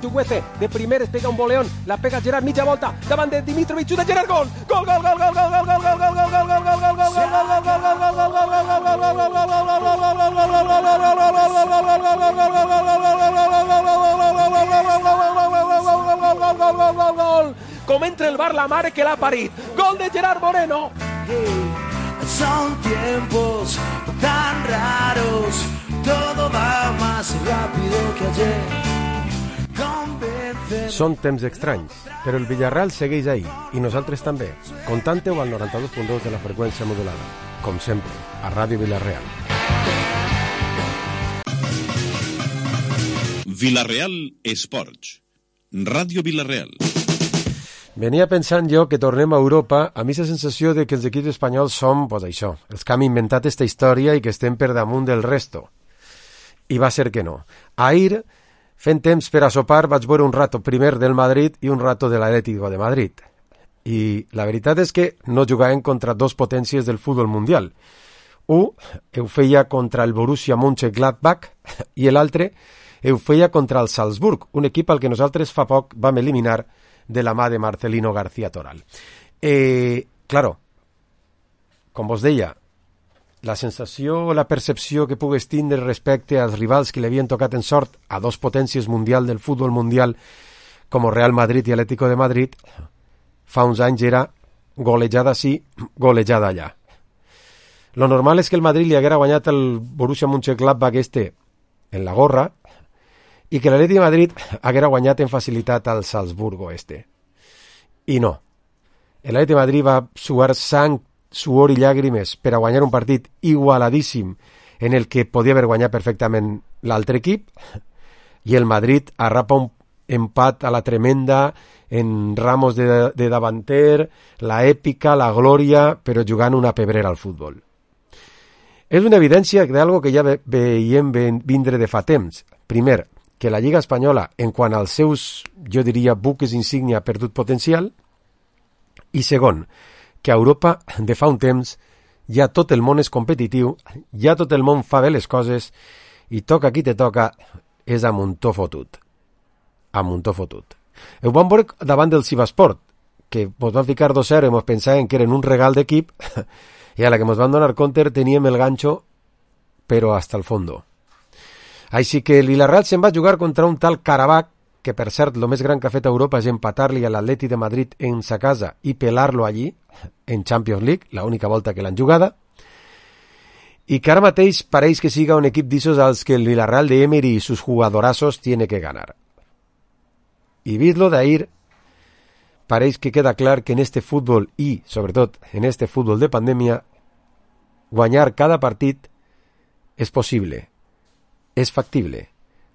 Chukwueze, de primer es pega un boleón, la pega Gerard, mitja volta, davant de Dimitrovic, xuta Gerard, gol! Gol, gol, gol, gol, gol, gol, gol, gol, gol, gol, gol, gol, gol, gol, gol! Com entra el bar la mare que l'ha parit. Gol de Gerard Moreno. Son tiempos tan raros, todo va más rápido que ayer. Són temps estranys, però el Villarreal segueix ahí, i nosaltres també. Contante-ho al 92.2 de la freqüència modulada. Com sempre, a Ràdio Villarreal. Villarreal Esports. Ràdio Villarreal. Venia pensant jo que tornem a Europa amb aquesta sensació de que els equips espanyols som, pues això, els que han inventat aquesta història i que estem per damunt del resto. I va ser que no. Ahir, fent temps per a sopar, vaig veure un rato primer del Madrid i un rato de l'Atlético de Madrid. I la veritat és que no jugaven contra dos potències del futbol mundial. Un ho feia contra el Borussia Mönchengladbach i l'altre ho feia contra el Salzburg, un equip al que nosaltres fa poc vam eliminar de la mà de Marcelino García Toral. Claro, com vos deia, la sensació, la percepció que pugues tindre respecte als rivals que li havien tocat en sort a dos potències mundial del futbol mundial com Real Madrid i Atlético de Madrid, fa uns anys era golejada sí, golejada allà. Lo normal és que el Madrid li haguera guanyat el Borussia Mönchengladbach en la gorra i que l'Atlètic de Madrid haguera guanyat en facilitat al Salzburgo I no. L'Atlètic de Madrid va suar sang, suor i llàgrimes per a guanyar un partit igualadíssim en el que podia haver guanyat perfectament l'altre equip i el Madrid arrapa un empat a la tremenda en Ramos de davanter, la èpica, la glòria, però jugant una pebrera al futbol. És una evidència d'algo que ja veiem vindre de fa temps. Primer, que la Lliga Espanyola, en quant als seus, jo diria, buques insígnia ha perdut potencial, i segon, que a Europa, de fa un temps, ja tot el món és competitiu, ja tot el món fa bé les coses, i toca qui te toca, és a muntó fotut. A muntó fotut. Ho vam veure davant del Sivasport, que mos van ficar 2-0 i mos pensaven que eren un regal d'equip, i a la que mos van donar compte teníem el ganxo, però hasta el fondo. Així que el Villarreal se'n va jugar contra un tal Karabakh, que per cert, el més gran que ha fet a Europa és empatar-li a l'Atlètic de Madrid en sa casa i pelar-lo allí, en Champions League, l'única volta que l'han jugada, i que ara mateix pareix que siga un equip d'issos als que el Villarreal de Emery i sus jugadorazos tiene que ganar. I vist-lo d'ahir, pareix que queda clar que en este futbol i, sobretot, en este futbol de pandèmia, guanyar cada partit és possible, és factible.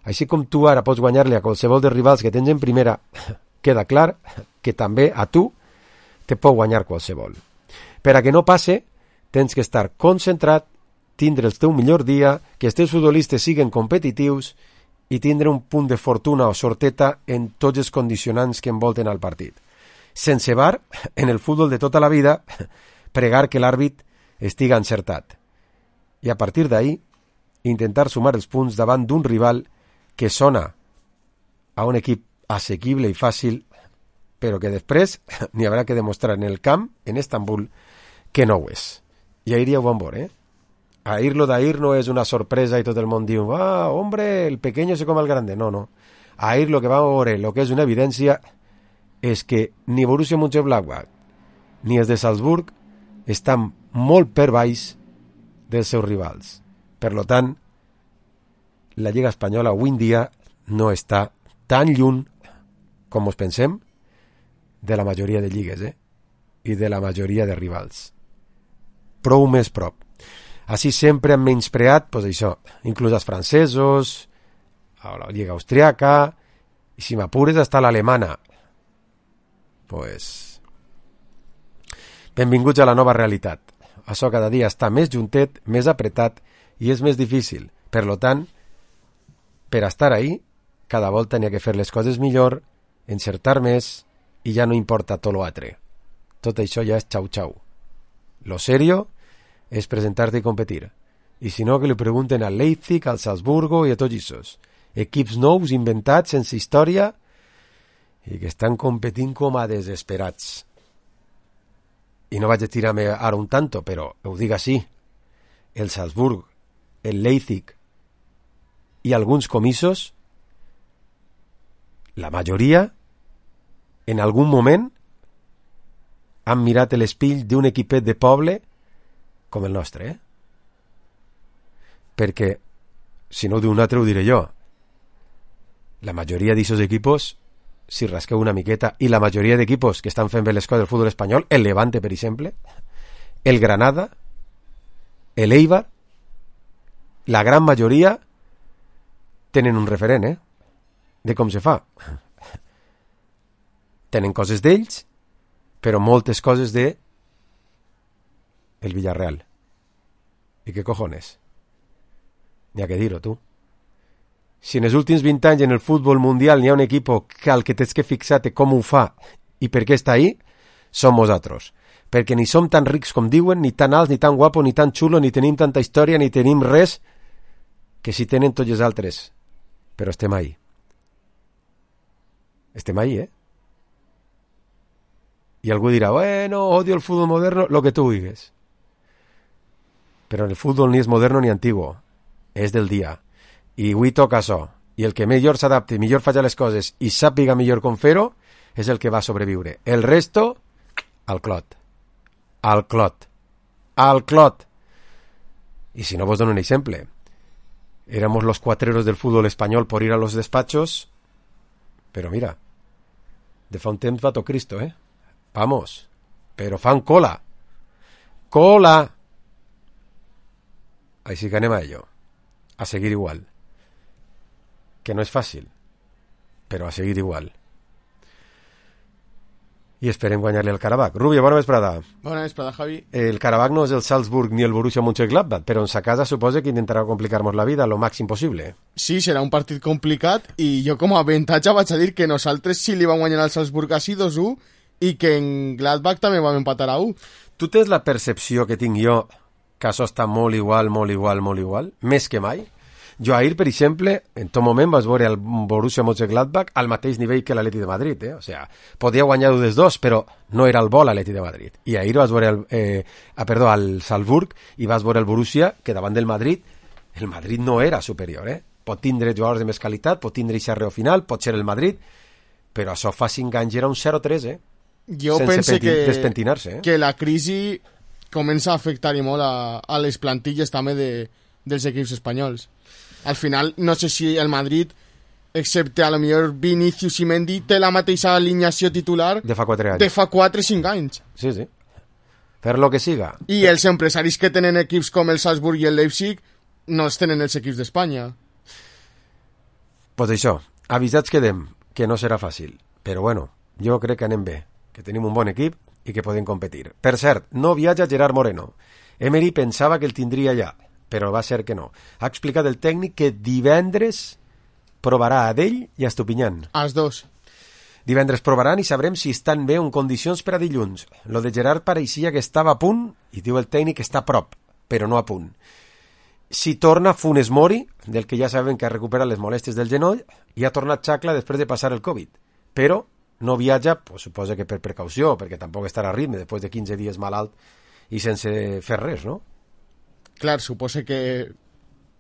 Així com tu ara pots guanyar-li a qualsevol dels rivals que tens en primera, queda clar que també a tu te pot guanyar qualsevol. Per a que no passe, tens que estar concentrat, tindre el teu millor dia, que els teus futbolistes siguen competitius i tindre un punt de fortuna o sorteta en tots els condicionants que envolten al partit. Sense bar, en el futbol de tota la vida, pregar que l'àrbit estiga encertat. I a partir d'ahí, intentar sumar els punts davant d'un rival que sona a un equip assequible i fàcil, però que després n'hi haurà que demostrar en el camp, en Estambul, que no ho és. I ahir ja ho vam veure, Ahir lo d'ahir no és una sorpresa i tot el món diu, hombre, el pequeño se come al grande. No, no. Ahir lo que vam veure, lo que és una evidència, és que ni Borussia Mönchengladbach ni els de Salzburg estan molt per baix dels seus rivals. Per lo tant, la Lliga Espanyola avui en dia no està tan lluny com us pensem de la majoria de lligues, i de la majoria de rivals. Prou més prop. Així sempre han menyspreat, pues això, inclús els francesos, a la Lliga Austriaca, i si m'apures hasta l'alemana. Pues benvinguts a la nova realitat. Això cada dia està més juntet, més apretat i és més difícil. Per lo tant, per estar ahí, cada volta n'hi ha que fer les coses millor, encertar més i ja no importa tot l'altre. Tot això ja és xau-xau. Lo serio és presentar-te i competir. I si no, que li pregunten al Leipzig, al Salzburgo i a tots aquests. Equips nous, inventats, sense història, i que estan competint com a desesperats. I no vaig a tirar-me ara un tanto, però ho dic així. El Salzburg, el Leipzig i alguns comissos, la majoria, en algun moment, han mirat l'espill d'un equipet de poble com el nostre, Perquè, si no ho diu un altre, ho diré jo. La majoria d'aquests equipos, si rasqueu una miqueta, i la majoria d'equipos que estan fent bé les coses del futbol espanyol, el Levante, per exemple, el Granada, el Eibar, la gran majoria tenen un referent, de com se fa. Tenen coses d'ells, però moltes coses de el Villarreal. I què cojones? N'hi ha que dir-ho, tu. Si en els últims 20 anys en el futbol mundial n'hi ha un equip que al que tens que fixar-te com ho fa i per què està ahí, som nosaltres. Perquè ni som tan rics com diuen, ni tan alts, ni tan guapos, ni tan xulos, ni tenim tanta història, ni tenim res que si tenen tots els altres. Però estem ahí. Estem ahí, I algú dirà, bueno, odio el futbol moderno, lo que tu digues. Però el futbol ni és moderno ni antiguo. És del dia. I avui toca això. I el que millor s'adapti, millor faci les coses i sàpiga millor com fer-ho, és el que va sobreviure. El resto, al clot. Al clot. Al clot. Y si no, vos dono un exemple. Éramos los cuatreros del fútbol español por ir a los despachos, pero mira, de fa un temps va tot Cristo, Vamos, pero fan cola. Cola. Així que anem a ello. A seguir igual. Que no és fàcil, però a seguir igual. I esperem guanyar-li al Karabakh. Rubio, bona vesprada. Bona vesprada, Javi. El Karabakh no és el Salzburg ni el Borussia Mönchengladbach, però en sa casa suposa que intentarà complicar-nos la vida lo màxim possible. Sí, serà un partit complicat i jo com a avantatge vaig a dir que nosaltres sí li vam guanyar al Salzburg així 2-1 i que en Gladbach també vam empatar a 1. Tu tens la percepció que tinc jo que això està molt igual, més que mai? Jo ahir, per exemple, en tot moment vas veure el Borussia Mönchengladbach al mateix nivell que l'Atleti de Madrid, O sea, podia guanyar dels dos, però no era el bo l'Atleti de Madrid. I ahir vas veure al Salzburg i vas veure el Borussia, que davant del Madrid, el Madrid no era superior, Pot tindre jugadors de més qualitat, pot tindre xarreo final, pot ser el Madrid, però això fa 5 anys era un 0-3, Jo penso despentinar-se, que la crisi comença a afectar-hi molt a les plantilles també dels equips espanyols. Al final, no sé si el Madrid, excepte a lo millor Vinícius i Mendy, té la mateixa alineació titular de fa 4 anys. De fa 4-5 anys. Sí. Fer lo que siga. I els empresaris que tenen equips com el Salzburg i el Leipzig no els tenen els equips d'Espanya. Pues això, avisats quedem, que no serà fàcil. Però bueno, jo crec que anem bé, que tenim un bon equip i que podem competir. Per cert, no viatja Gerard Moreno. Emery pensava que el tindria ja, però va ser que no. Ha explicat el tècnic que divendres provarà a Dell i a Estupinyán. Els dos. Divendres provaran i sabrem si estan bé en condicions per a dilluns. Lo de Gerard pareixia que estava a punt i diu el tècnic que està a prop, però no a punt. Si torna Funes Mori, del que ja sabem que ha recuperat les molèsties del genoll, i ha tornat Xacla després de passar el Covid. Però no viatja, pues, suposa que per precaució, perquè tampoc estarà a ritme després de 15 dies malalt i sense fer res, no? Clar, suposa que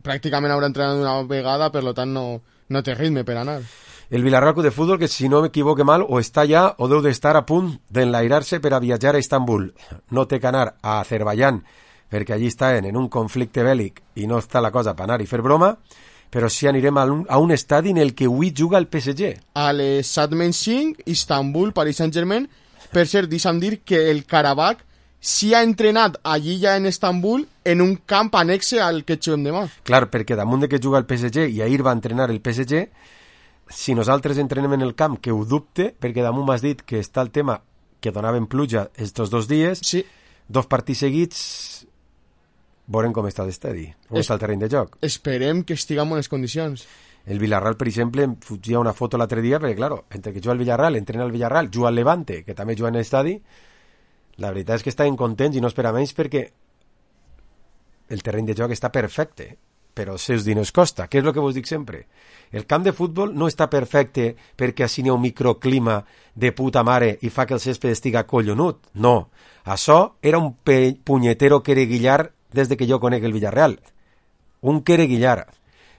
pràcticament haurà entrenat una vegada, per tant no té ritme per anar. El Villarreal Club de Futbol, que si no m'equivoque mal, o està ja o deu d'estar a punt d'enlairar-se per a viatjar a Istanbul. No té que anar a Azerbaiyán, perquè allí estan en un conflicte bèl·lic i no està la cosa per anar i fer broma, però sí anirem a un estadi en el que avui juga el PSG. A les Satmenching, Istanbul, Paris Saint-Germain. Per cert, deixa'm dir que el Karabakh sí ha entrenat allí ja en Istanbul en un camp anexe al que juguem demà. Clar, perquè damunt de que juga el PSG i ahir va entrenar el PSG, si nosaltres entrenem en el camp, que ho dubte, perquè damunt m'has dit que està el tema que donaven pluja estos 2 dies, sí. 2 partits seguits, veurem com està l'estadi, com està el terreny de joc. Esperem que estigui en bones condicions. El Villarreal, per exemple, em fugia una foto l'altre dia, perquè, claro, entre que juga el Villarreal, entrena el Villarreal, juga el Levante, que també juga en l'estadi, la veritat és que estaven contents i no espera menys perquè el terreny de joc està perfecte. però els seus diners costa. Què és el que vos dic sempre? El camp de futbol no està perfecte perquè així n'hi ha un microclima de puta mare i fa que el césped estiga collonut. No, això era un punyetero quereguillar des de que jo conec el Villarreal. Un quereguillar.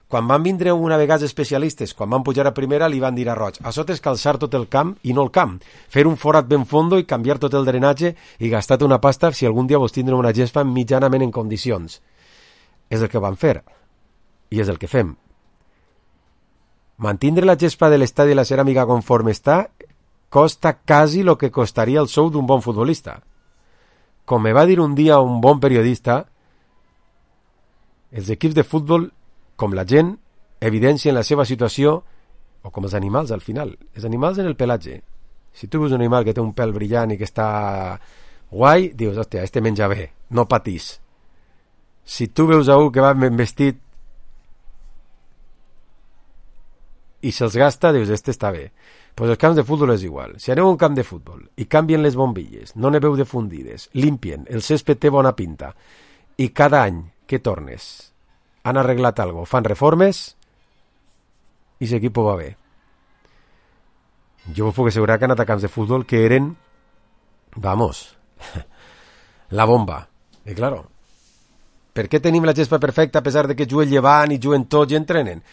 Quan van vindre una vegada especialistes, quan van pujar a primera, li van dir a Roig, això és calçar tot el camp i no el camp, fer un forat ben fondo i canviar tot el drenatge i gastar una pasta si algun dia vos tindreu una gespa mitjanament en condicions. És el que van fer i és el que fem. Mantindre la gespa de l'estadi i la ceràmica conforme està costa quasi el que costaria el sou d'un bon futbolista. Com me va dir un dia un bon periodista, els equips de futbol, com la gent, evidencien la seva situació, o com els animals al final. Els animals en el pelatge. Si tu veus un animal que té un pèl brillant i que està guai, dius, hòstia, este menja bé, no patís. Si tu veus a un que va ben vestit i se'ls gasta, dius, este està bé. Pues els camps de futbol és igual. Si aneu a un camp de futbol i canvien les bombilles, no n'heu de fundides, limpien, el césped té bona pinta, i cada any que tornes han arreglat algo, fan reformes i l'equip va bé. Jo us puc assegurar que han anat a camps de futbol que eren, vamos, la bomba. I claro, per què tenim la gespa perfecta a pesar de que juguen llevant i juguen tots i entrenen?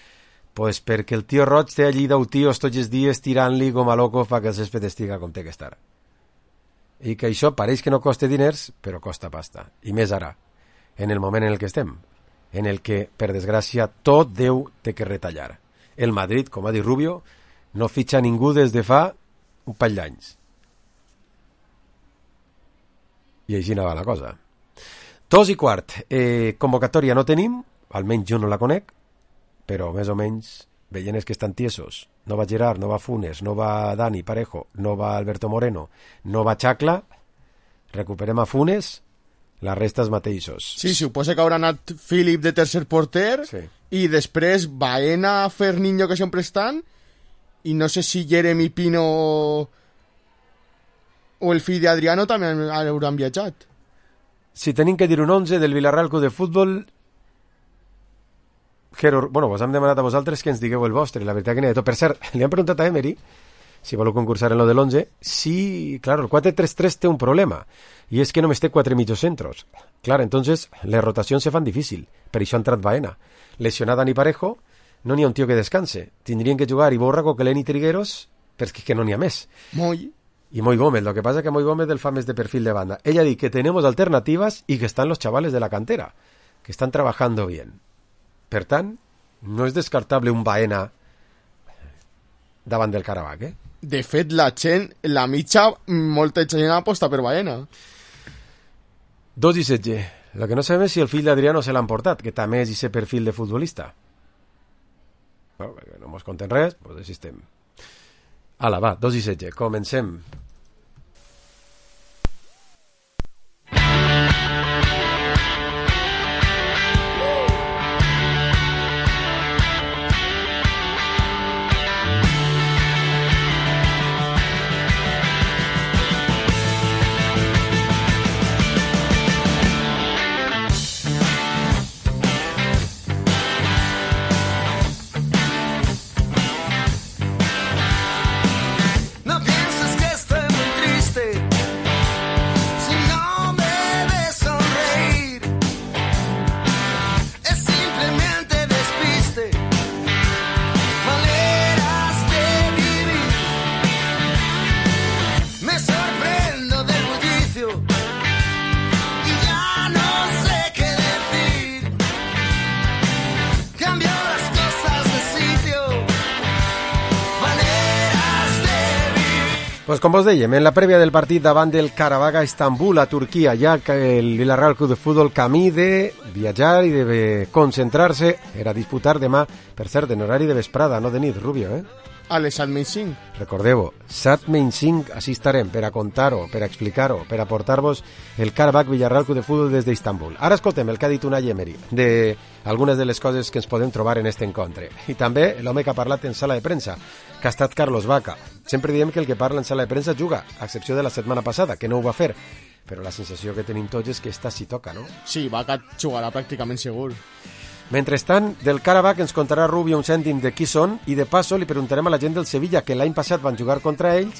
Pues perquè el tio Roig té allí 10 tios tots els dies tirant-li com a loco fa que el césped estiga com té que estar. I que això pareix que no costa diners, però costa pasta. I més ara, en el moment en el que estem, en el que, per desgràcia, tot Déu té que retallar. El Madrid, com ha dit Rubio, no fitxa ningú des de fa un parell d'anys. I així no va la cosa. 2:15. Convocatòria no tenim, almenys jo no la conec, però més o menys veient és que estan tiesos. No va Gerard, no va Funes, no va Dani Parejo, no va Alberto Moreno, no va Chacla. Recuperem a Funes, la resta els mateixos. Sí, suposa que haurà anat Philip de tercer porter, Sí. i després Baena, Ferniño, que sempre estan, i no sé si Jeremy Pino o el fill d'Adriano també hauran viatjat. Si tenim que dir un 11 del Villarreal Club de Futbol, bueno, vos hem demanat a vosaltres que ens digueu el vostre, la veritat que n'hi ha de tot. Per cert, li han preguntat a Emery si voleu concursar en lo de l'11, sí, claro, el 4-3-3 té un problema, i és que només té 4 mitjocentros. Claro, entonces les rotacions se fan difícil, per això ha entrat Baena. Lesionat Dani Parejo, no n'hi ha un tio que descanse. Tindrien que jugar Iborra, Coquelin i Trigueros, perquè és que no n'hi ha més. Moi. Y Moy Gómez, lo que pasa es que Moy Gómez del FAM es de perfil de banda. Ella dice que tenemos alternativas y que están los chavales de la cantera, que están trabajando bien. Per tant, no és descartable un Baena davant del Karabakh, eh? De fet, la mitja, molta gent aposta per Baena. 2-17. Lo que no sabem és si el fill d'Adriano se l'han portat, que també és ese perfil de futbolista. Bueno, no mos conten res, doncs així estem. Ala, va, 2-17. Comencem. Pues com vos dèiem, en la prèvia del partit davant del Karabakh a Estambul, a Turquia, ja que el Villarreal Club de Futbol camí de viatjar i de concentrar-se per a disputar demà, per cert, en horari de vesprada, no de nit, Rubio, eh? A les 7:05. Recordeu-ho, 7:05, així estarem, per a contar-ho, per a explicar-ho, per a portar-vos el Karabakh Villarreal Club de Futbol des d'Istanbul. Ara escoltem el que ha dit Unai Emery, de algunes de les coses que ens podem trobar en este encontre. I també l'home que ha parlat en sala de premsa, que ha estat Carlos Vaca. Sempre diem que el que parla en sala de premsa juga, a excepció de la setmana passada, que no ho va fer. Però la sensació que tenim tots és que esta sí toca, no? Sí, Vaca jugarà pràcticament segur. Mentrestant, del Karabakh ens contarà Rubio un cèntim de qui són i de passo li preguntarem a la gent del Sevilla, que l'any passat van jugar contra ells,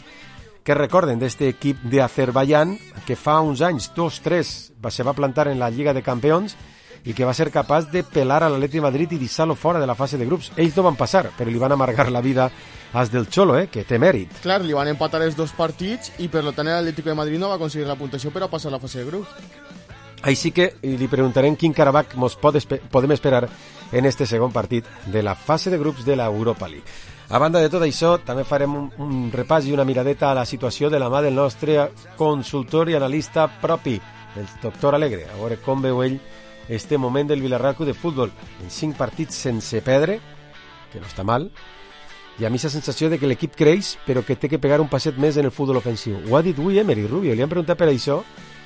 que recorden d'este equip d'Azerbaiyán que fa uns anys, 2-3, se va plantar en la Lliga de Campions i que va ser capaç de pelar a l'Atleti de Madrid i deixar-lo fora de la fase de grups. Ells no van passar, però li van amargar la vida als del Cholo, que té mèrit. Clar, li van empatar els 2 partits i per tant l'Atlético de Madrid no va aconseguir la puntuació per a passar a la fase de grups. Així que li preguntarem quin Karabakh ens podem esperar en este segon partit de la fase de grups de l'Europa League. A banda de tot això, també farem un repàs i una miradeta a la situació de la mà del nostre consultor i analista propi, el doctor Alegre. A veure com veu ell este moment del Villarreal Club de Futbol en 5 partits sense perdre, que no està mal, i a mi la sensació de que l'equip creix, però que té que pegar un passet més en el futbol ofensiu. Ho ha dit avui Emery Rubio, li han preguntat per això,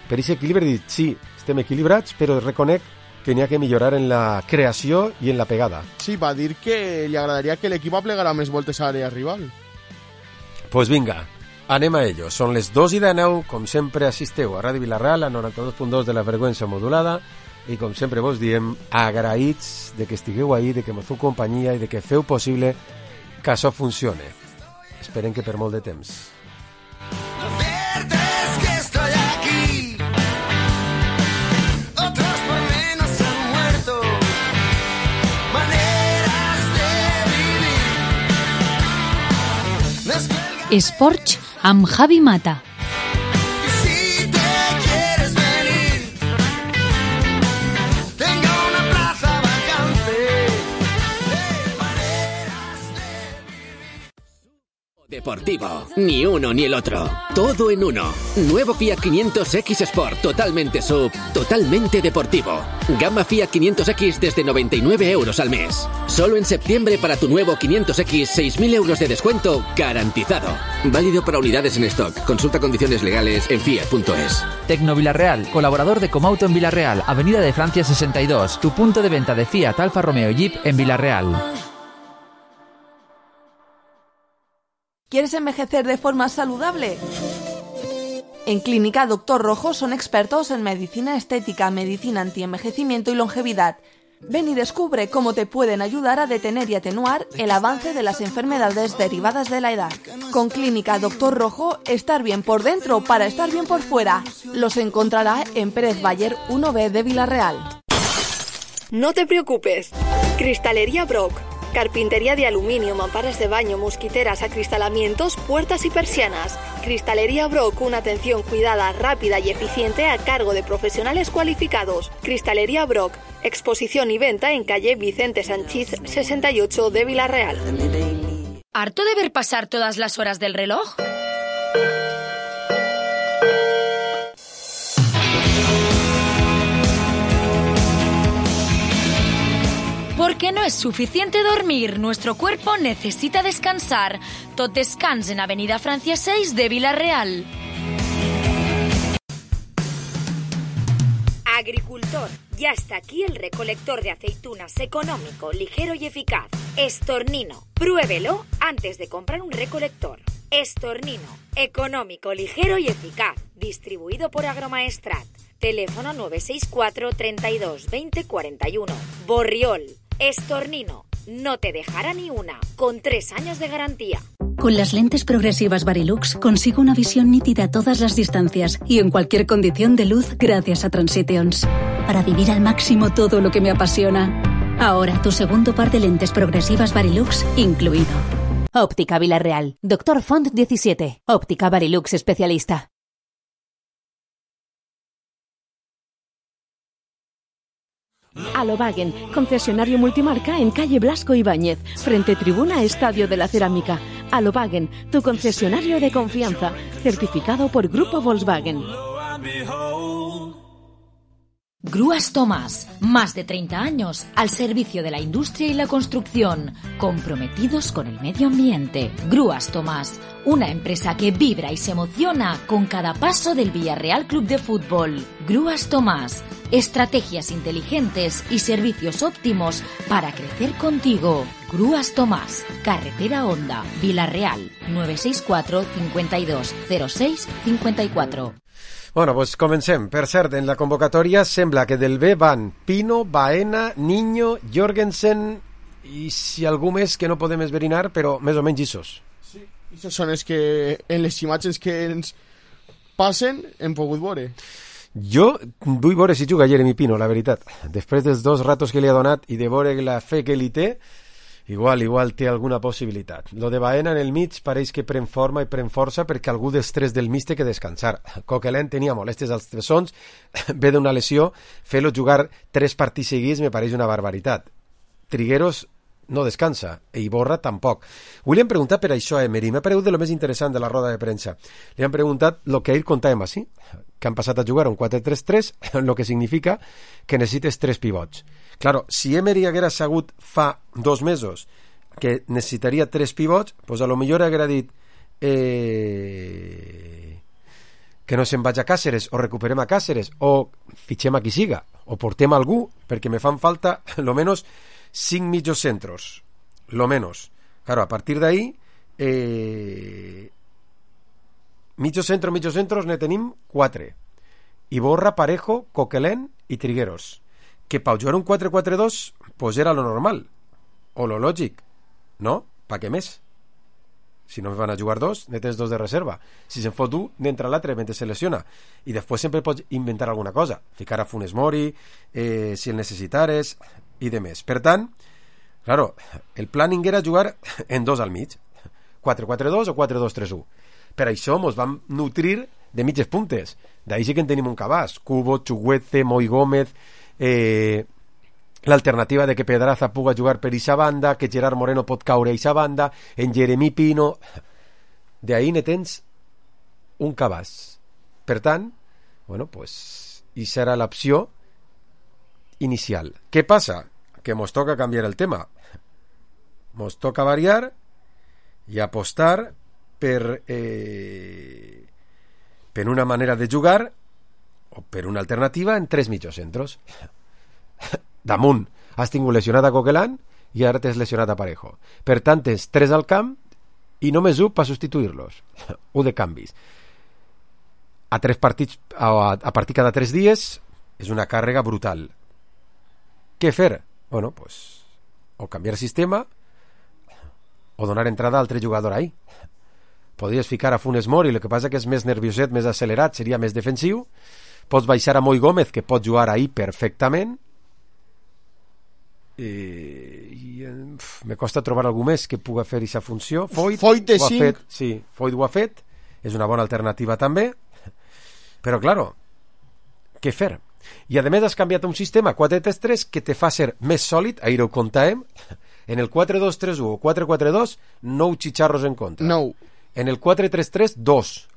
per aquest equilibri, ha dit, sí, estem equilibrats, però reconec que n'hi ha que millorar en la creació i en la pegada. Sí, va dir que li agradaria que l'equip aplegara més voltes a l'àrea rival. Pues vinga, anem a ello. Són les 2:19, com sempre assisteu a Ràdio Vilarreal, a 92.2 de la freqüència modulada, i com sempre vos diem, agraïts de que estigueu ahí, de que me feu companyia i de que feu possible que això funcione. Esperem que per molt de temps. Esports amb Javi Mata. Deportivo, ni uno ni el otro, todo en uno. Nuevo Fiat 500X Sport, totalmente sub, totalmente deportivo. Gama Fiat 500X desde 99 euros al mes. Solo en septiembre para tu nuevo 500X, 6.000 euros de descuento garantizado. Válido para unidades en stock. Consulta condiciones legales en fiat.es. Tecno Villarreal, colaborador de Comauto en Villarreal, Avenida de Francia 62, tu punto de venta de Fiat, Alfa Romeo y Jeep en Villarreal. ¿Quieres envejecer de forma saludable? En Clínica Dr. Rojo son expertos en medicina estética, medicina antienvejecimiento y longevidad. Ven y descubre cómo te pueden ayudar a detener y atenuar el avance de las enfermedades derivadas de la edad. Con Clínica Dr. Rojo, estar bien por dentro para estar bien por fuera. Los encontrará en Pérez Bayer 1B de Villarreal. No te preocupes. Cristalería Brock. Carpintería de aluminio, mamparas de baño, mosquiteras, acristalamientos, puertas y persianas. Cristalería Brock, una atención cuidada, rápida y eficiente a cargo de profesionales cualificados. Cristalería Brock, exposición y venta en calle Vicente Sanchís 68 de Villarreal. ¿Harto de ver pasar todas las horas del reloj? Porque no es suficiente dormir, nuestro cuerpo necesita descansar. Tot Descans en Avenida Francia 6 de Villarreal. Agricultor, ya está aquí el recolector de aceitunas económico, ligero y eficaz. Estornino, pruébelo antes de comprar un recolector. Estornino, económico, ligero y eficaz. Distribuido por Agromaestrat. Teléfono 964 32 20 41. Borriol. Estornino, no te dejará ni una, con 3 años de garantía. Con las lentes progresivas Varilux consigo una visión nítida a todas las distancias y en cualquier condición de luz gracias a Transitions. Para vivir al máximo todo lo que me apasiona. Ahora tu segundo par de lentes progresivas Varilux incluido. Óptica Villarreal. Dr. Font 17. Óptica Varilux especialista. Alobagen, concesionario multimarca en calle Blasco Ibáñez, frente tribuna Estadio de la Cerámica. Alobagen, tu concesionario de confianza, certificado por Grupo Volkswagen. Grúas Tomás, más de 30 años al servicio de la industria y la construcción, comprometidos con el medio ambiente. Grúas Tomás, una empresa que vibra y se emociona con cada paso del Villarreal Club de Fútbol. Grúas Tomás, estrategias inteligentes y servicios óptimos para crecer contigo. Grúas Tomás, Carretera Honda, Villarreal, 964 52 06 54. Bueno, pues comencem. Per cert, en la convocatòria sembla que del B van Pino, Baena, Niño, Jorgensen i si algú més que no podem esverinar, però més o menys issos. Sí, issos són els que en les imatges que ens passen hem pogut veure. Jo vull veure si juga Jeremy Pino, la veritat. Després dels 2 ratos que li ha donat i de veure la fe que li té, igual té alguna possibilitat. Lo de Baena en el mig pareix que pren forma i pren força perquè algú dels 3 del mig té que descansar. Coquelin tenia molèsties als tresons, ve d'una lesió, fer-lo jugar 3 partits seguits me pareix una barbaritat. Trigueros no descansa, e Iborra tampoc. Avui li han preguntat per això a Emery, m'ha paregut de lo més interessant de la roda de premsa. Li han preguntat lo que ahir contàvem així, que han passat a jugar un 4-3-3, lo que significa que necessites 3 pivots. Claro, si Emery haguera sabut fa 2 mesos que necessitaria 3 pivots, pues a lo millor haguera dit que no se'n vaig a Càceres, o recuperem a Càceres, o fitxem a qui siga, o portem algú, perquè me fan falta lo menos 5 mitjos centros, lo menos. Claro, a partir de ahí mitjos centros ne tenim 4. Iborra, Parejo, Coquelin i Trigueros. Que per jugar un 4-4-2 pues era lo normal, o lo lògic, no? Pa què més? Si no van a jugar 2, ne tens 2 de reserva. Si se'n fot 1, n'entra l'altre mentre se lesiona. I després sempre pots inventar alguna cosa. Ficar a Funes Mori, si el necessitares, i de més. Per tant, claro, el planning era jugar en 2 al mig. 4-4-2 o 4-2-3-1. Per això mos vam nutrir de mitges puntes. D'ahí sí que en tenim un cabàs. Cubo, Chuguete, Moi Gómez, l'alternativa de que Pedraza puga jugar per eixa banda, que Gerard Moreno pot caure a eixa banda, en Jeremy Pino. D'ahí ne tens un cabàs. Per tant, bueno, pues, i serà l'opció inicial. Què passa? Que mos toca canviar el tema. Mos toca variar i apostar per una manera de jugar o per una alternativa en 3 mitjocentros. Damunt has tingut lesionat a Coquelin i ara t'has lesionat a Parejo. Per tant, tens 3 al camp i només 1 per substituir-los. 1 de canvis. A 3 partits, a partir cada 3 dies és una càrrega brutal. Què fer? Bueno, pues, o canviar sistema o donar entrada a altre jugador ahí. Podries ficar a Funes Mori, el que passa que és més nervioset, més accelerat, seria més defensiu. Pots baixar a Moi Gómez, que pot jugar ahí perfectament. Me costa trobar algú més que puga fer aquesta funció. Foyt de ho ha 5. fet, sí, Foyt ho ha fet, és una bona alternativa també, però claro, què fer? I a més has canviat un sistema 4-3-3 que te fa ser més sòlid, ahir ho contàvem. En el 4-2-3-1 o 4-4-2 9 xitxarros en contra, en el 4-3-3 2,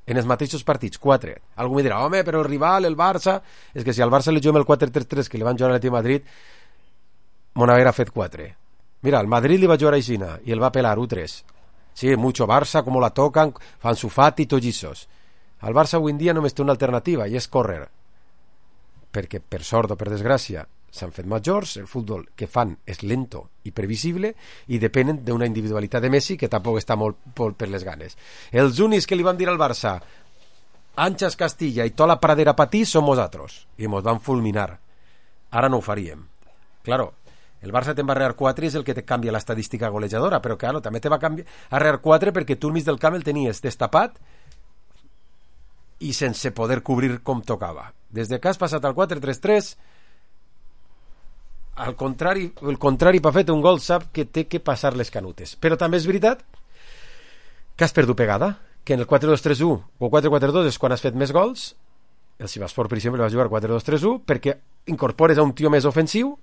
en els mateixos partits 4. Algú me dirà, home, però el rival, el Barça, és que si al Barça li juguem el 4-3-3 que li van jugar a l'Atlètic de Madrid, mon haguera fet 4. Mira, el Madrid li va jugar a Aixina i el va pelar 1-3. Sí, mucho Barça, como la tocan, fan su Fati, tollissos. Al Barça avui en dia només té una alternativa i és córrer, perquè per sort o per desgràcia s'han fet majors, el futbol que fan és lento i previsible i depenen d'una individualitat de Messi que tampoc està molt per les ganes. Els únics que li van dir al Barça Anxas Castilla i tota la pradera patí som nosaltres i mos van fulminar. Ara no ho faríem. Claro, el Barça te'n va arrear 4 i és el que te canvia l'estadística golejadora, però claro, també te va arrear 4 perquè tu al mig del camp el tenies destapat i sense poder cobrir com tocava. Des que has passat al 4-3-3, el contrari per fer un gol sap que té que passar les canutes. Però també és veritat que has perdut pegada, que en el 4-2-3-1 o 4-4-2 és quan has fet més gols. El Sivaspor, per exemple, va jugar 4-2-3-1 perquè incorpores a un tio més ofensiu.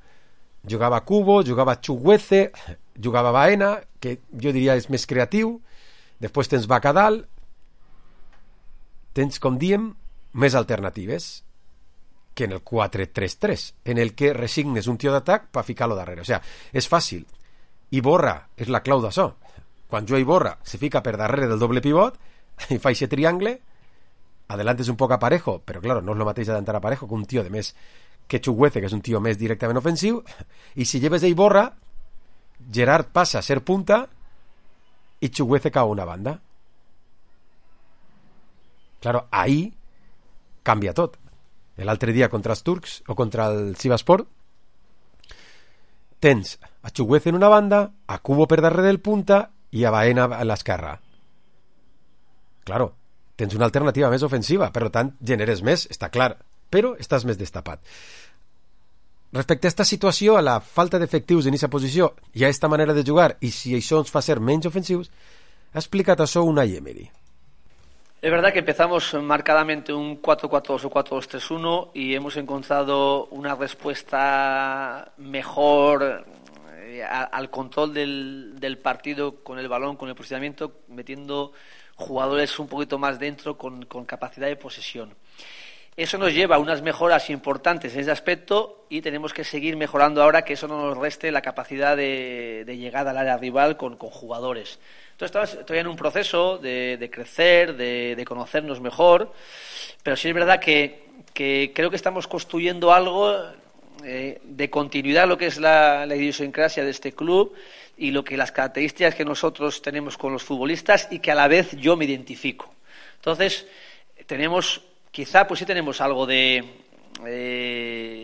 Jugava Cubo, jugava Chuguece, jugava Baena, que jo diria és més creatiu. Després tens Bacadal. Tens, com diem, més alternatives que en el 4-3-3, en el que resignes un tio d'atac per ficar-lo darrere. O sigui, és fàcil. Iborra és la clau d'això. Quan jo Iborra se fica per darrere del doble pivot i fa aquest triangle, adelantes un poc a Parejo, però claro, no és el mateix adelantar a Parejo que un tio de més que Chuguece, que és un tio més directament ofensiu, i si lleves a Iborra, Gerard passa a ser punta i Chuguece cau a una banda. Claro, ahí canvia tot. L'altre dia contra els turcs o contra el Sivasspor tens a Chukwueze en una banda, a Kubo per darrere del punta i a Baena a l'esquerra. Claro, tens una alternativa més ofensiva, per tant generes més, està clar, però estàs més destapat. Respecte a aquesta situació, a la falta d'efectius en aquesta posició i a aquesta manera de jugar, i si això ens fa ser menys ofensius, ha explicat això Unai Emery. Es verdad que empezamos marcadamente un 4-4-2 o 4-2-3-1 y hemos encontrado una respuesta mejor al control del partido con el balón, con el posicionamiento, metiendo jugadores un poquito más dentro con capacidad de posesión. Eso nos lleva a unas mejoras importantes en ese aspecto y tenemos que seguir mejorando ahora, que eso no nos reste la capacidad de llegada al área rival con jugadores. Entonces estoy en un proceso de crecer, de conocernos mejor, pero sí es verdad que creo que estamos construyendo algo de continuidad, lo que es la idiosincrasia de este club y las características que nosotros tenemos con los futbolistas y que a la vez yo me identifico. Entonces quizá pues sí tenemos algo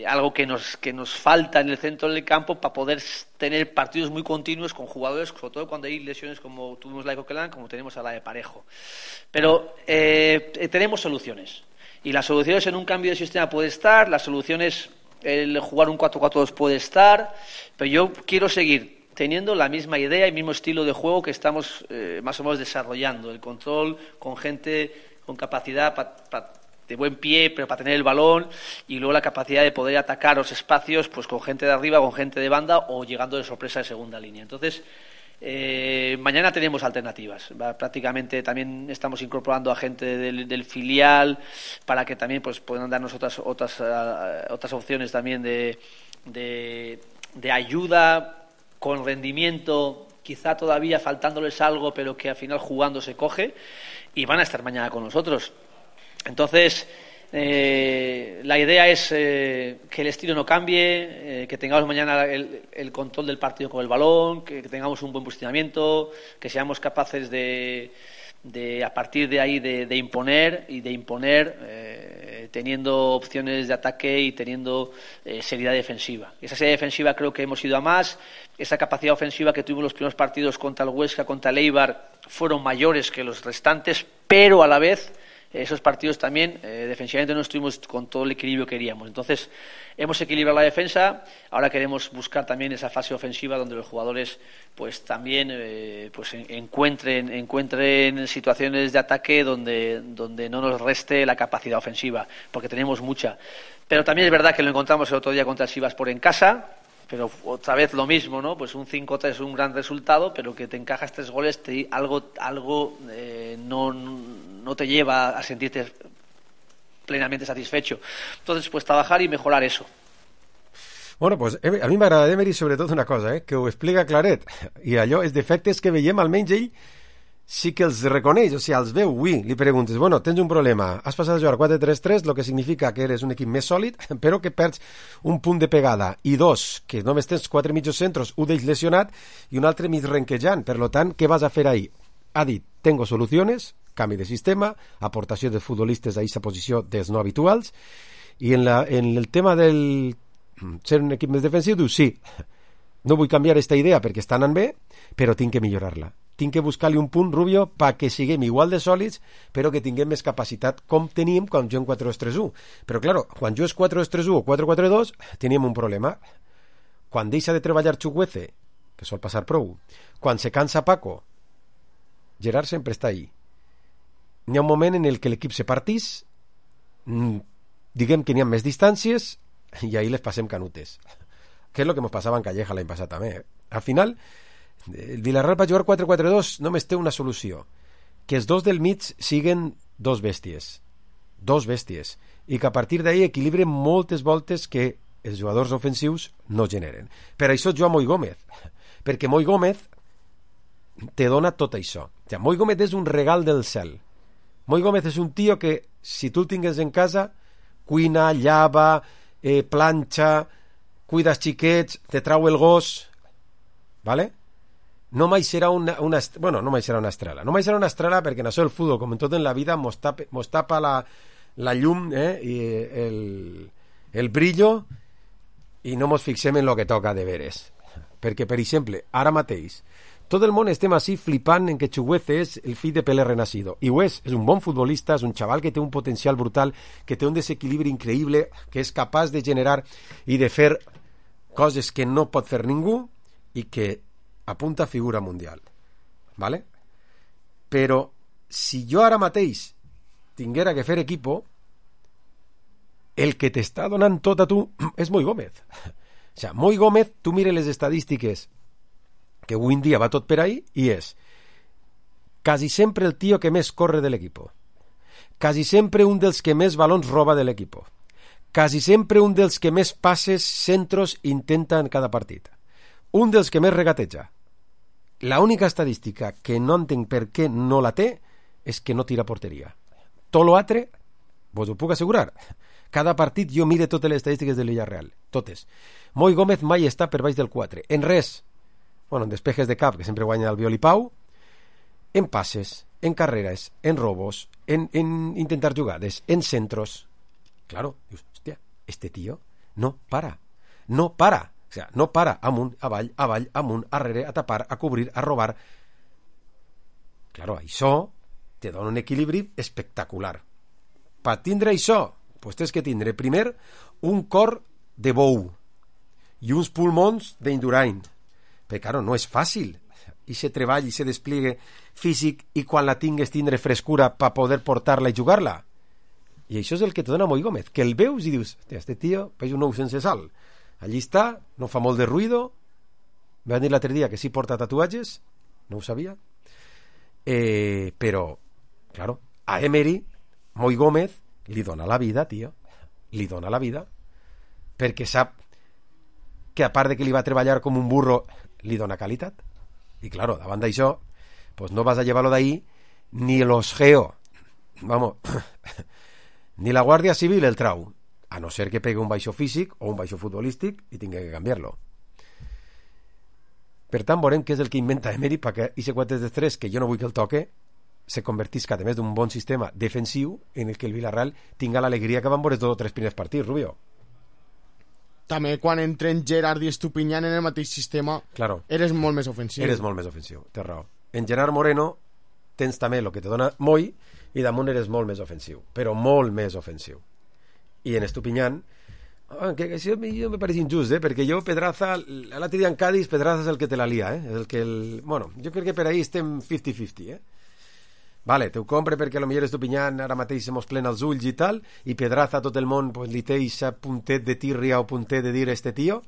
algo que nos falta en el centro del campo para poder tener partidos muy continuos con jugadores, sobre todo cuando hay lesiones como tuvimos la de Coquelin, como tenemos a la de Parejo. Pero tenemos soluciones. Y las soluciones en un cambio de sistema puede estar, las soluciones el jugar un 4-4-2 puede estar, pero yo quiero seguir teniendo la misma idea y mismo estilo de juego que estamos más o menos desarrollando. El control con gente con capacidad de buen pie, pero para tener el balón, y luego la capacidad de poder atacar los espacios pues con gente de arriba, con gente de banda o llegando de sorpresa de segunda línea. Entonces, mañana tenemos alternativas. Prácticamente también estamos incorporando a gente del filial para que también pues puedan darnos otras opciones también de ayuda con rendimiento, quizá todavía faltándoles algo, pero que al final jugando se coge, y van a estar mañana con nosotros. Entonces, la idea es que el estilo no cambie, que tengamos mañana el control del partido con el balón, que tengamos un buen posicionamiento, que seamos capaces de a partir de ahí de imponer teniendo opciones de ataque y teniendo seriedad defensiva. Esa seriedad defensiva creo que hemos ido a más. Esa capacidad ofensiva que tuvimos los primeros partidos contra el Huesca, contra el Eibar, fueron mayores que los restantes, pero a la vez esos partidos también defensivamente no estuvimos con todo el equilibrio que queríamos. Entonces hemos equilibrado la defensa, ahora queremos buscar también esa fase ofensiva donde los jugadores pues también pues encuentren situaciones de ataque donde no nos reste la capacidad ofensiva, porque tenemos mucha. Pero también es verdad que lo encontramos el otro día contra el Sivasspor en casa, pero otra vez lo mismo, ¿no? Pues un 5-3 es un gran resultado, pero que te encajas 3 goles, algo no te lleva a sentirte plenamente satisfecho. Entonces, pues trabajar y mejorar eso. Bueno, pues a mi m'agrada d'Emery sobretot una cosa, que ho explica claret, i allò, els defectes que veiem, almenys ell sí que els reconeix, o sigui, els veu. Avui li preguntes, bueno, tens un problema, has passat a jugar 4-3-3, lo que significa que eres un equip més sòlid, però que perds un punt de pegada, i 2, que només tens 4 mitjos centros, un d'ells lesionat i un altre mig renquejant. Per tant, què vas a fer ahir? Ha dit, tengo soluciones, canvi de sistema, aportació de futbolistes a aquesta posició dels no habituals, i en el tema del ser un equip més defensiu, diu, sí, no vull canviar aquesta idea perquè està anant bé, però tinc que millorar-la. Tinc que buscar-li un punt, Rubio, perquè siguem igual de sòlids, però que tinguem més capacitat com teníem quan juguem 4-2-3-1. Però, clar, quan jugues 4-2-3-1 o 4-4-2, teníem un problema. Quan deixa de treballar Chukwueze, que sol passar prou, quan se cansa Paco, Gerard sempre està ahí. N'hi ha un moment en el que l'equip se partís, diguem que n'hi ha més distàncies, i ahir les passem canutes. Que és el que ens passava en Calleja l'any passat també. Al final, el Villarreal per jugar 4-4-2 només té una solució, que els dos del mig siguen dos bèsties, i que a partir d'ahir equilibren moltes voltes que els jugadors ofensius no generen. Per això juga Moi Gómez, perquè Moi Gómez te dona tot això. Moi Gómez és un regal del cel. Moi Gómez és un tio que, si tu el tingues en casa, cuina, llava, planxa, cuida els xiquets, te trau el gos, ¿vale? No mai serà una estrela. No mai serà una estrela perquè en això el futbol, com en tot en la vida, mos tapa la llum i el brillo i no mos fixem en lo que toca de veres. Perquè, per exemple, ara mateix tot el món estem així flipant en que Chukwueze és el fill de Pelé renacido. I ho és un bon futbolista, és un xaval que té un potencial brutal, que té un desequilibri increïble, que és capaç de generar i de fer coses que no pot fer ningú i que apunta a figura mundial. ¿Vale? Però si jo ara mateix tinguera que fer equipo, el que t'està donant tot a tu és Moi Gómez. O sea, Moi Gómez, tu mires les estadístiques que avui en dia va tot per ahí i és quasi sempre el tio que més corre de l'equipo, quasi sempre un dels que més balons roba de l'equipo, quasi sempre un dels que més passes, centros intenta en cada partit, un dels que més regateja. La única estadística que no entenc per què no la té és que no tira porteria. Tot l'altre, vos ho puc assegurar. Cada partit jo mire totes les estadístiques de Villarreal, totes. Moi Gómez mai està per baix del 4, en res. Bueno, en despejes de cap, que sempre guanya el Violi Pau, en passes, en carreres, en robos, en intentar jugades, en centros. Claro, dius, hòstia, este tío no para. O sea, no para, amunt, avall, amunt, arrere, a tapar, a cobrir, a robar. Claro, això te dona un equilibri espectacular. Per tindre això, pues tens que tindre primer un cor de bou i uns pulmons d'Indurain. Perquè, claro, no és fàcil. I se treball i se despliegue físic i quan la tingues tindre frescura per poder portar-la i jugar-la. I això és el que te dona Moi Gómez, que el veus i dius, este tío veig un ou sense sal. Allí està, no fa molt de ruido. Me van dir l'altre dia que sí porta tatuatges, no ho sabia. Però, claro, a Emery, Moi Gómez li dona la vida, tio. Li dona la vida. Perquè sap que a part de que li va treballar com un burro, li dona qualitat. I claro, davant d'això, pues no vas a llevar-lo d'ahí ni los geo, vamos, ni la Guàrdia Civil el trau, a no ser que pegue un baixo físic o un baixo futbolístic i tingui que canviar-lo. Per tant, veurem què és el que inventa Emery perquè aquest 4-3, que jo no vull que el toque, se convertisca, a més d'un bon sistema defensiu en el que el Villarreal tinga l'alegria que van veure tots els primers partits, Rubio. També quan entren Gerard i Estupiñán en el mateix sistema, claro, eres molt més ofensiu. Eres molt més ofensiu, té raó. En Gerard Moreno tens també el que te dona Moi i damunt eres molt més ofensiu, però molt més ofensiu. I en Estupiñán, que això me pareix injust, perquè jo Pedraza, l'altre dia en Cádiz, Pedraza és el que te la lia, és el que bueno, jo crec que per ahí estem 50-50, Vale, te ho compre perquè potser Estupiñán ara mateix se mos plena els ulls i tal, i Pedraza tot el món pues, li té aquest puntet de tírria o puntet de dir este tio,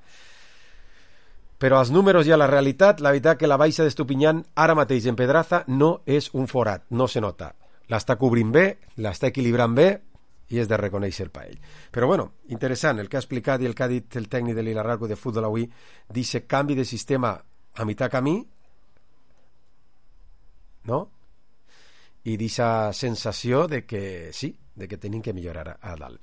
però als números i a la realitat, la veritat que la baixa d'Estupiñán ara mateix en Pedraza no és un forat, no se nota. L'està cobrint bé, l'està equilibrant bé, i és de reconèixer per ell. Però bueno, interessant, el que ha explicat i el que ha dit el tècnic de l'Ilarraco de futbol avui, dice canvi de sistema a mitjà camí, no? I d'aquesta sensació de que sí, de que tenim que millorar a dalt.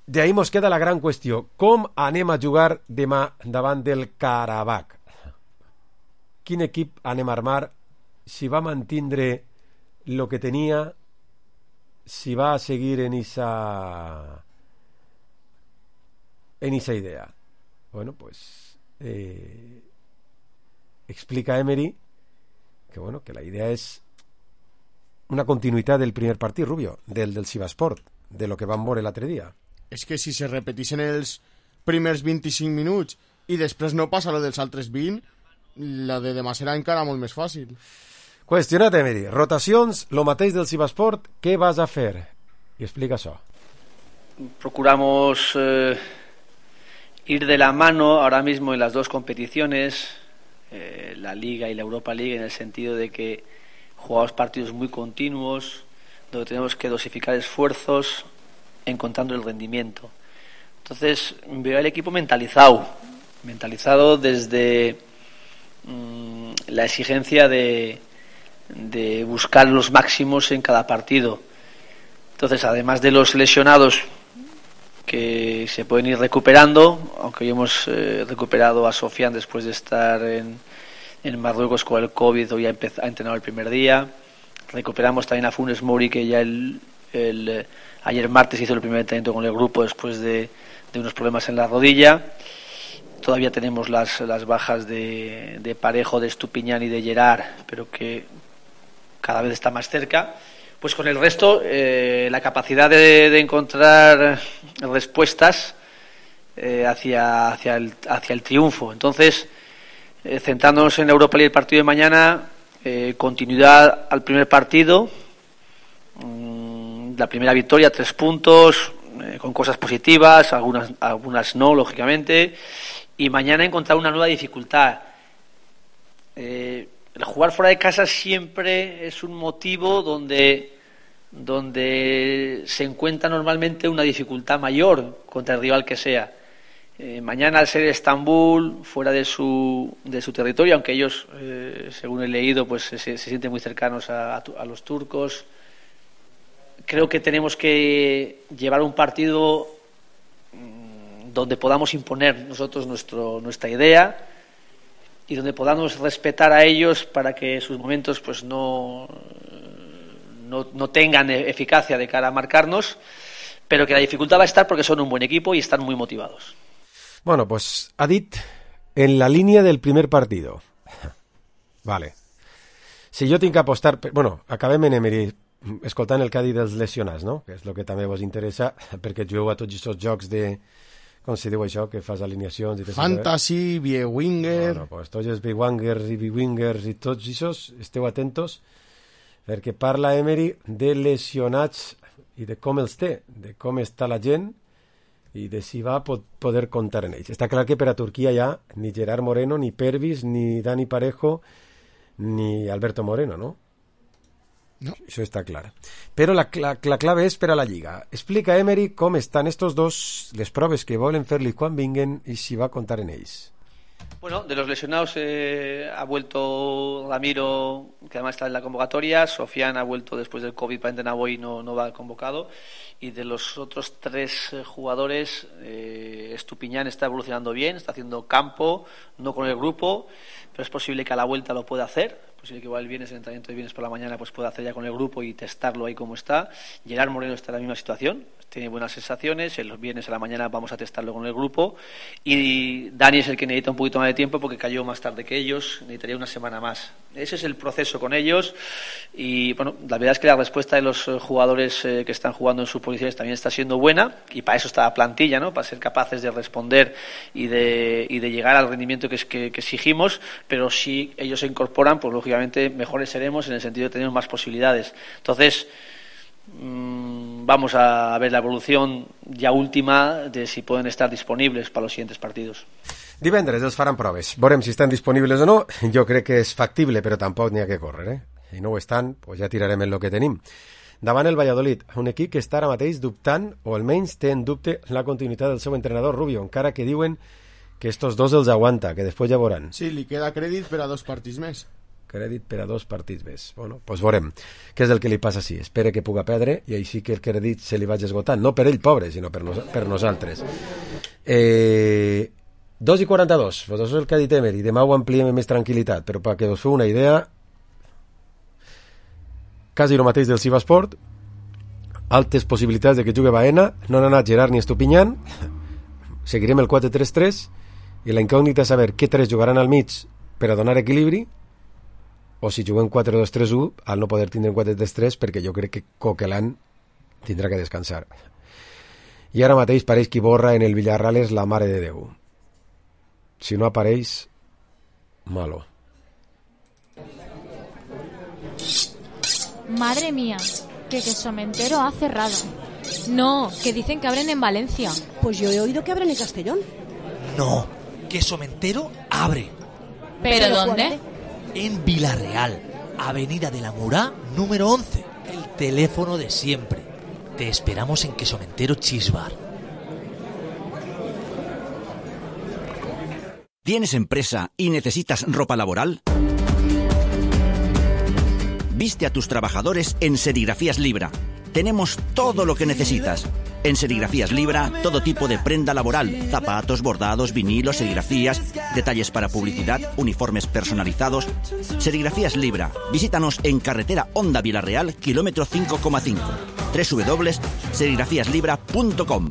D'ahí mos queda la gran qüestió. Com anem a jugar demà davant del Karabakh? Quin equip anem a armar? Si va mantindre el que tenia, si va a seguir en esa idea. Bueno, pues explica Emery que bueno, que la idea és una continuïtat del primer partit, Rubio, del Sivasport, de lo que vam veure l'altre dia. És que si se repetissin els primers 25 minuts i després no passa lo dels altres 20, la de demà serà encara molt més fàcil. Qüestionat, Emery. Rotacions, lo mateix del Sivasport, què vas a fer? I explica això. Procuramos ir de la mano ahora mismo en las dos competiciones, la Liga y la Europa League, en el sentido de que jugamos partidos muy continuos, donde tenemos que dosificar esfuerzos encontrando el rendimiento. Entonces veo al equipo mentalizado desde la exigencia de buscar los máximos en cada partido. Entonces, además de los lesionados que se pueden ir recuperando, aunque hoy hemos recuperado a Sofian después de estar en Marruecos con el COVID, hoy ha entrenado el primer día. Recuperamos también a Funes Mori, que ya el Ayer martes hizo el primer entrenamiento con el grupo después de unos problemas en la rodilla. Todavía tenemos las bajas de Parejo, de Estupiñán y de Gerard, pero que cada vez está más cerca. Pues con el resto, la capacidad de encontrar respuestas hacia el triunfo. Entonces, centrándonos en la Europa League, el partido de mañana, continuidad al primer partido, la primera victoria, 3 puntos, con cosas positivas, algunas no, lógicamente, y mañana encontrar una nueva dificultad. El jugar fuera de casa siempre es un motivo donde se encuentra normalmente una dificultad mayor contra el rival que sea. Mañana, al ser Estambul, fuera de su territorio, aunque ellos, según he leído, pues se sienten muy cercanos a los turcos, creo que tenemos que llevar un partido donde podamos imponer nosotros nuestra idea y donde podamos respetar a ellos para que sus momentos pues no tengan eficacia de cara a marcarnos, pero que la dificultad va a estar porque son un buen equipo y están muy motivados. Bueno, pues ha dit en la línia del primer partido. Vale. Si jo tinc que apostar... Bueno, acabem en Emery escoltant el que ha dit dels lesionats, no? Que és el que també vos interessa, perquè jugueu a tots aquests jocs de... Com se diu això? Que fas alineacions... I Fantasy, B-Winger... Bueno, pues tots els B-Wingers i B-Wingers i tots aquests, esteu atentos, perquè parla Emery de lesionats i de com els té, de com està la gent i de si va poder comptar en ells. Està clar que per a Turquia hi ha ni Gerard Moreno, ni Pervis, ni Dani Parejo, ni Alberto Moreno, no? No. Això està clar. Però la clave és per a la Lliga. Explica Emery com estan estos dos, les proves que volen fer-li quan vinguen i si va comptar en ells. Bueno, de los lesionados ha vuelto Ramiro, que además está en la convocatoria. Sofian ha vuelto después del COVID, para Naboy no va convocado. Y de los otros 3 jugadores, Estupiñán está evolucionando bien, está haciendo campo, no con el grupo, pero es posible que a la vuelta lo pueda hacer. Es posible que igual el viernes, el entrenamiento de viernes por la mañana, pues pueda hacer ya con el grupo y testarlo ahí como está. Gerard Moreno está en la misma situación, tiene buenas sensaciones. El viernes a la mañana vamos a testarlo con el grupo. Y Dani es el que necesita un poquito más de tiempo porque cayó más tarde que ellos, necesitaría una semana más. Ese es el proceso con ellos. Y bueno, la verdad es que la respuesta de los jugadores que están jugando en sus posiciones también está siendo buena, y para eso está la plantilla, ¿no? Para ser capaces de responder y de llegar al rendimiento que exigimos. Pero si ellos se incorporan, pues lógicamente mejores seremos en el sentido de tener más posibilidades. Entonces, vamos a ver la evolución ya última de si pueden estar disponibles para los siguientes partidos. Divendres els faran proves. Veurem si estan disponibles o no. Jo crec que és factible, però tampoc n'hi ha que córrer, Si no ho estan, pues ja tirarem en el que tenim. Davant el Valladolid, un equip que està ara mateix dubtant, o almenys té en dubte la continuïtat del seu entrenador Rubio, encara que diuen que estos dos els aguanta, que després ja veuran. Sí, li queda crèdit per a 2 partits més. Crèdit per a 2 partits més. Bueno, doncs veurem què és el que li passa així. Espera que puga perdre i així que el crèdit se li vagi esgotant. No per ell, pobre, sinó per nosaltres. 2:42. Pues això és el que ha dit Emery. Demà ho ampliem amb més tranquil·litat, però perquè us feu una idea, quasi el mateix del Sivasport, altes possibilitats de que jugui Baena, no han anat Gerard ni Estupiñán, seguirem el 4-3-3 i la incògnita és saber què 3 jugaran al mig per a donar equilibri, o si juguem 4-2-3-1 al no poder tindre un 4-3-3, perquè jo crec que Coquelin tindrà que descansar. I ara mateix pareix que Borra en el Villarreal és la mare de Déu. Si no apareix, malo. Madre mía, que Quesomentero ha cerrado. No, que dicen que abren en Valencia. Pues yo he oído que abren en Castellón. No, Quesomentero abre. ¿Pero dónde? En Villarreal, Avenida de la Murá, número 11. El teléfono de siempre. Te esperamos en Quesomentero Cheese Bar. ¿Tienes empresa y necesitas ropa laboral? Viste a tus trabajadores en Serigrafías Libra. Tenemos todo lo que necesitas. En Serigrafías Libra, todo tipo de prenda laboral, zapatos, bordados, vinilos, serigrafías, detalles para publicidad, uniformes personalizados. Serigrafías Libra. Visítanos en carretera Honda Villarreal, kilómetro 5,5. www.serigrafiaslibra.com.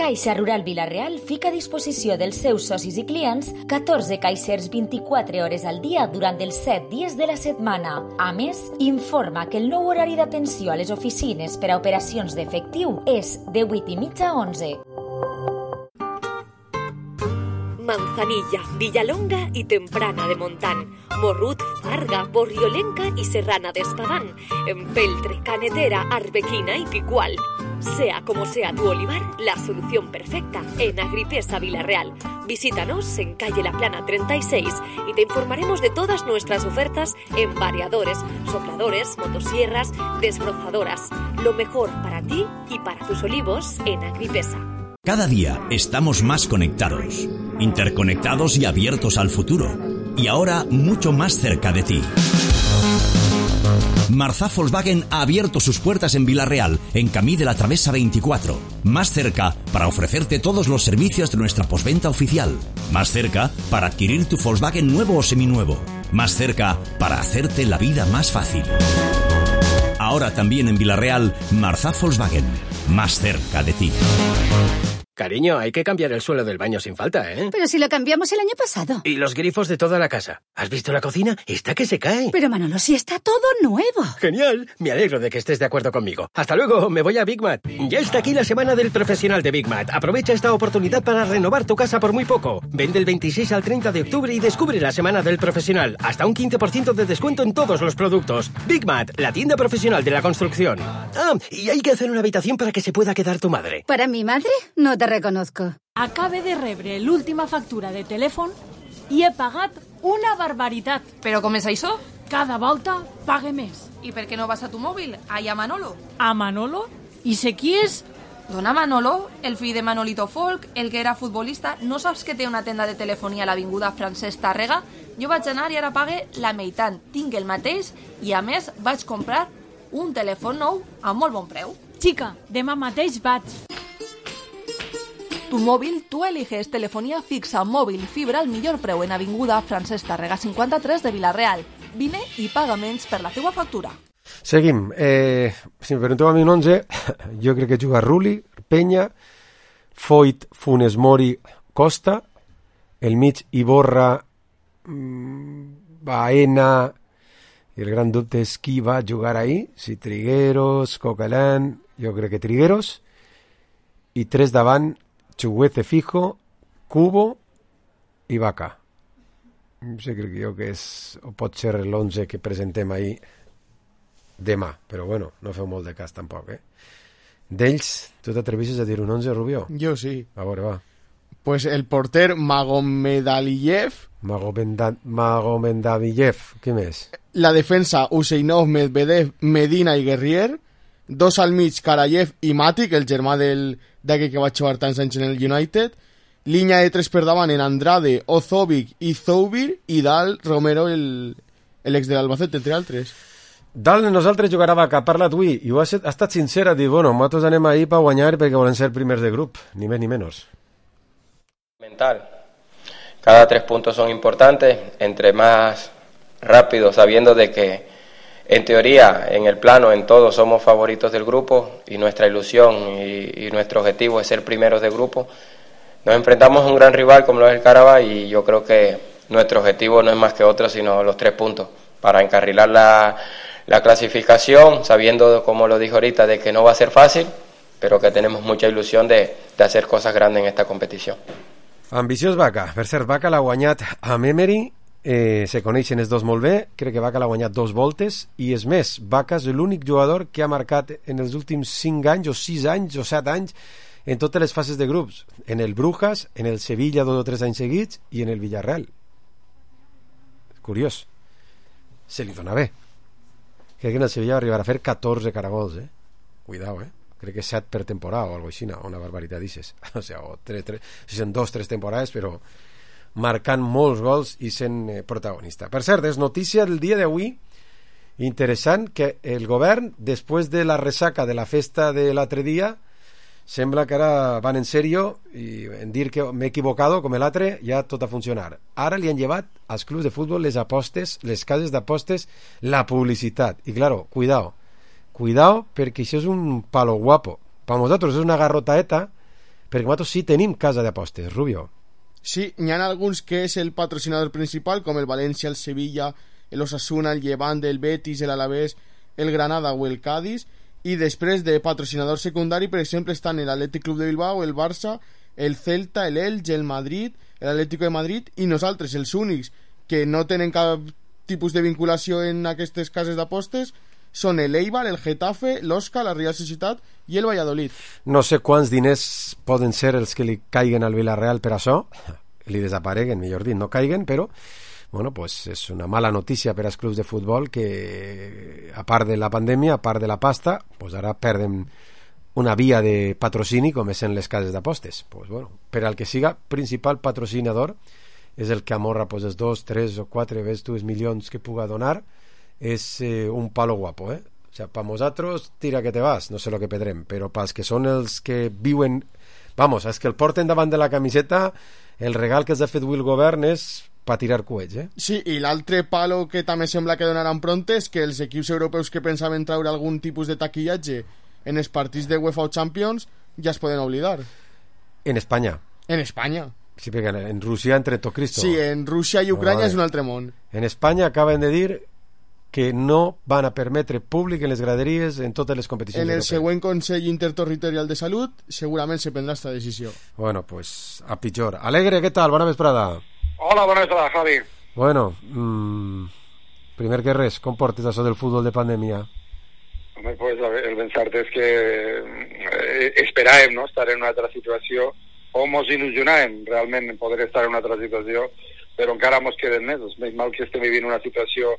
Caixa Rural Vila-real fica a disposició dels seus socis i clients 14 caixers 24 hores al dia durant els 7 dies de la setmana. A més, informa que el nou horari d'atenció a les oficines per a operacions d'efectiu és de 8:30 a 11. Manzanilla, Villalonga y Temprana de Montán, Morrut, Farga, Borriolenca y Serrana de Espadán, Empeltre, Canetera, Arbequina y Picual. Sea como sea tu olivar, la solución perfecta en Agripesa Vila-real. Visítanos en calle La Plana 36 y te informaremos de todas nuestras ofertas en variadores, sopladores, motosierras, desbrozadoras. Lo mejor para ti y para tus olivos en Agripesa. Cada día estamos más conectados, interconectados y abiertos al futuro. Y ahora mucho más cerca de ti. Marzá Volkswagen ha abierto sus puertas en Vila-real, en Camí de la Travesa 24. Más cerca para ofrecerte todos los servicios de nuestra postventa oficial. Más cerca para adquirir tu Volkswagen nuevo o seminuevo. Más cerca para hacerte la vida más fácil. Ahora también en Vila-real, Marzá Volkswagen. Más cerca de ti. Cariño, hay que cambiar el suelo del baño sin falta, ¿eh? Pero si lo cambiamos el año pasado. Y los grifos de toda la casa. ¿Has visto la cocina? Está que se cae. Pero Manolo, si está todo nuevo. Genial. Me alegro de que estés de acuerdo conmigo. Hasta luego, me voy a Big Mat. Ya está aquí la semana del profesional de Big Mat. Aprovecha esta oportunidad para renovar tu casa por muy poco. Vende el 26 al 30 de octubre y descubre la semana del profesional. Hasta un 15% de descuento en todos los productos. Big Mat, la tienda profesional de la construcción. Ah, y hay que hacer una habitación para que se pueda quedar tu madre. ¿Para mi madre? No te reconozco. Acabe de rebre l'última factura de telèfon i he pagat una barbaritat. Però com és això? Cada volta pague més. I per què no vas a tu mòbil? Allà a Manolo. A Manolo? I sé qui és? Dona Manolo, el fill de Manolito Folk, el que era futbolista. No saps que té una tenda de telefonia a l'avinguda Francesc Tàrrega? Jo vaig anar i ara pague la meitat. Tinc el mateix i a més vaig comprar un telèfon nou a molt bon preu. Xica, demà mateix vaig. Tu móvil, tú eliges telefonía fixa, móvil, fibra al millor preu en avinguda Francesc Tàrrega 53 de Vila-real. Vine i paga menys per la teua factura. Seguim. Si me pregunteu a mi un 11, jo crec que juga Rulli, Peña, Foyt, Funes Mori, Costa, el mig Iborra, Baena, i el gran dubte és qui va jugar ahí, si Trigueros, Coquelin, jo crec que Trigueros, i 3 davant, Chuguete fijo, Cubo i Vaca. Sí, crec jo que és, o pot ser l'11 que presentem ahir demà, però bueno, no feu molt de cas tampoc, D'ells, tu t'atreveixes a dir un 11, Rubió? Jo sí. A veure, va. Pues el porter Magomedaliyev. Magomedaliyev, què més? La defensa Useinov, Medvedev, Medina i Guerrier. 2 al mig, Karayev i Matic, el germà d'aquell que va jugar tants anys en el United. Línia de 3 per davant en Andrade, Ozovic i Zoubir, i dalt Romero, l'ex de l'Albacete, entre altres. Dalt nosaltres jugarà Vaca, parla tu i ho ha estat sincera, dir, bueno, nosaltres anem ahí per guanyar perquè volen ser primers de grup, ni més ni menys. Mental. Cada 3 puntos son importantes, entre más rápido, sabiendo de que en teoría, en el plano, en todo, somos favoritos del grupo y nuestra ilusión y nuestro objetivo es ser primeros de grupo. Nos enfrentamos a un gran rival como lo es el Carabao y yo creo que nuestro objetivo no es más que otro, sino los 3 puntos para encarrilar la clasificación, sabiendo, como lo dijo ahorita, de que no va a ser fácil, pero que tenemos mucha ilusión de hacer cosas grandes en esta competición. Ambiciós Vaca. Per cert, Vaca l'ha guanyat amb Emery. Se coneixen els dos molt bé, crec que Vaca l'ha guanyat 2 voltes i és més, Vaca és l'únic jugador que ha marcat en els últims 5 anys o 6 anys o 7 anys en totes les fases de grups, en el Brujas, en el Sevilla 2 o 3 anys seguits i en el Villarreal. Curiós, se li dona bé. Crec que en el Sevilla va arribar a fer 14 caragols, cuidao, crec que 7 per temporada o alguna cosa, una barbaritat dices, o sigui, o 3, si són 2-3 temporades, però marcant molts gols i sent protagonista. Per cert, és notícia del dia d'avui interessant que el govern, després de la ressaca de la festa de l'altre dia, sembla que ara van en sèrio i en dir que m'he equivocado com l'altre, ja tot a funcionar. Ara li han llevat als clubs de futbol les apostes, les cases d'apostes, la publicitat. I claro, cuidao, cuidao, perquè això és un palo guapo. Per nosaltres és una garrotaeta, perquè nosaltres sí tenim casa d'apostes, Rubio. Sí, n'hi ha alguns que és el patrocinador principal, com el València, el Sevilla, el Osasuna, el Levante, el Betis, el Alavés, el Granada o el Cádiz, i després de patrocinador secundari, per exemple, estan el Atlètic Club de Bilbao, el Barça, el Celta, el Elche, el Madrid, l'Atlético de Madrid, i nosaltres, els únics que no tenen cap tipus de vinculació en aquestes cases d'apostes, són el Eibar, el Getafe, l'Osca, la Real Societat i el Valladolid. No sé quants diners poden ser els que li caiguen al Villarreal per això, li desapareguen, millor dit, no caiguen, però bueno, pues és una mala notícia per als clubs de futbol que, a part de la pandèmia, a part de la pasta, pues ara perden una via de patrocini com és en les cases d'apostes. Pues bueno, per al que siga principal patrocinador és el que amorra pues, els 2, 3 o 4 ves milions que puga donar, és un palo guapo, eh? O sea, para nosaltres, tira que te vas, no sé lo que pedrem, però pels que són els que viuen, vamos, els que el porten davant de la camiseta, el regal que els ha fet avui el govern és per tirar coets, eh? Sí, i l'altre palo que també sembla que donaran pront és que els equips europeus que pensaven treure algun tipus de taquillatge en els partits de UEFA o Champions ja es poden oblidar. En Espanya. En Espanya. Sí, perquè en Rússia entre tot Cristo. Sí, en Rússia i Ucrania és un altre món. En Espanya acaben de dir que no van a permetre públic en les graderies en totes les competicions europees. En el següent Consell Interterritorial de Salut segurament se prendrà esta decisió. Bueno, pues a pitjor. Alegre, ¿qué tal? Bona vesprada. Hola, bona vesprada, Javi. Bueno, primer que res, com portes això del futbol de pandèmia? Home, pues el pensar-te és que esperàvem, no?, estar en una altra situació, o mos il·lusionàvem realment en poder estar en una altra situació, però encara mos queden mesos. Més mal que estem vivint una situació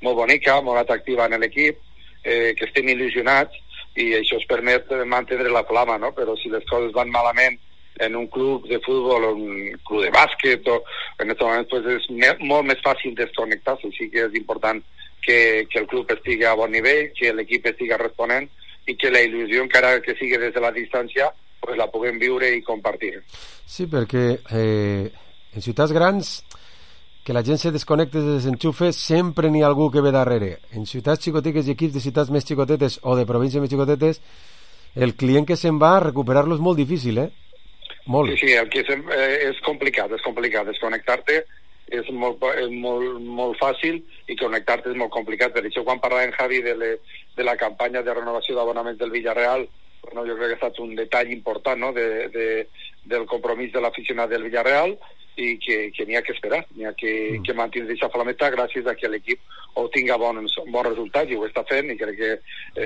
molt bonica, molt atractiva en l'equip, que estem il·lusionats, i això ens permet mantenir la flama, no? Però si les coses van malament en un club de futbol o un club de bàsquet, o en aquest moment pues, és molt més fàcil desconnectar-se. Sí que és important que el club estigui a bon nivell, que l'equip estigui responent i que la il·lusió, encara que sigui des de la distància, pues, la puguem viure i compartir. Sí, perquè en ciutats grans que la gent se desconnecte de desenxufe sempre n'hi ha algú que ve darrere. En ciutats xicotetes i equips de ciutats més xicotetes o de províncies més xicotetes, el client que se'n va, recuperar-lo és molt difícil, eh? Molt. Sí, el que és complicat, desconnectar-te és molt fàcil i connectar-te és molt complicat. Per això quan parlàvem, Javi, de la campanya de renovació d'abonaments del Villarreal, bueno, jo crec que ha estat un detall important, no?, del compromís de l'aficionat del Villarreal, i que n'hi ha que esperar, n'hi ha que mantenir aquesta flameta gràcies a que l'equip obtinga bons resultats, i ho està fent, i crec que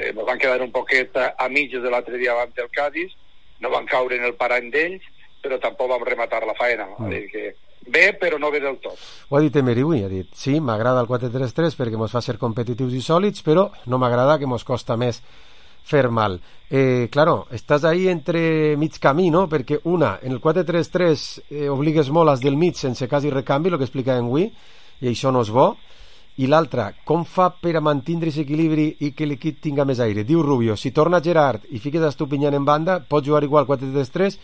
ens van quedar un poquet a mitges de l'altre dia davant del Cádiz, no van caure en el parany d'ells, però tampoc vam rematar la faena. És dir, que bé, però no bé del tot. Ho ha dit Emery avui, ha dit, sí, m'agrada el 4-3-3 perquè ens fa ser competitius i sòlids, però no m'agrada que ens costa més fer mal. Claro, estàs ahí entre mig camí, no? Perquè una, en el 4-3-3 obligues molt als del mig sense quasi recanvi, el que explicàvem avui, i això no és bo. I l'altra, com fa per a mantenir aquest equilibri i que l'equip tinga més aire? Diu Rubio, si torna Gerard i fiques Estupiñán en banda, pots jugar igual 4-3-3,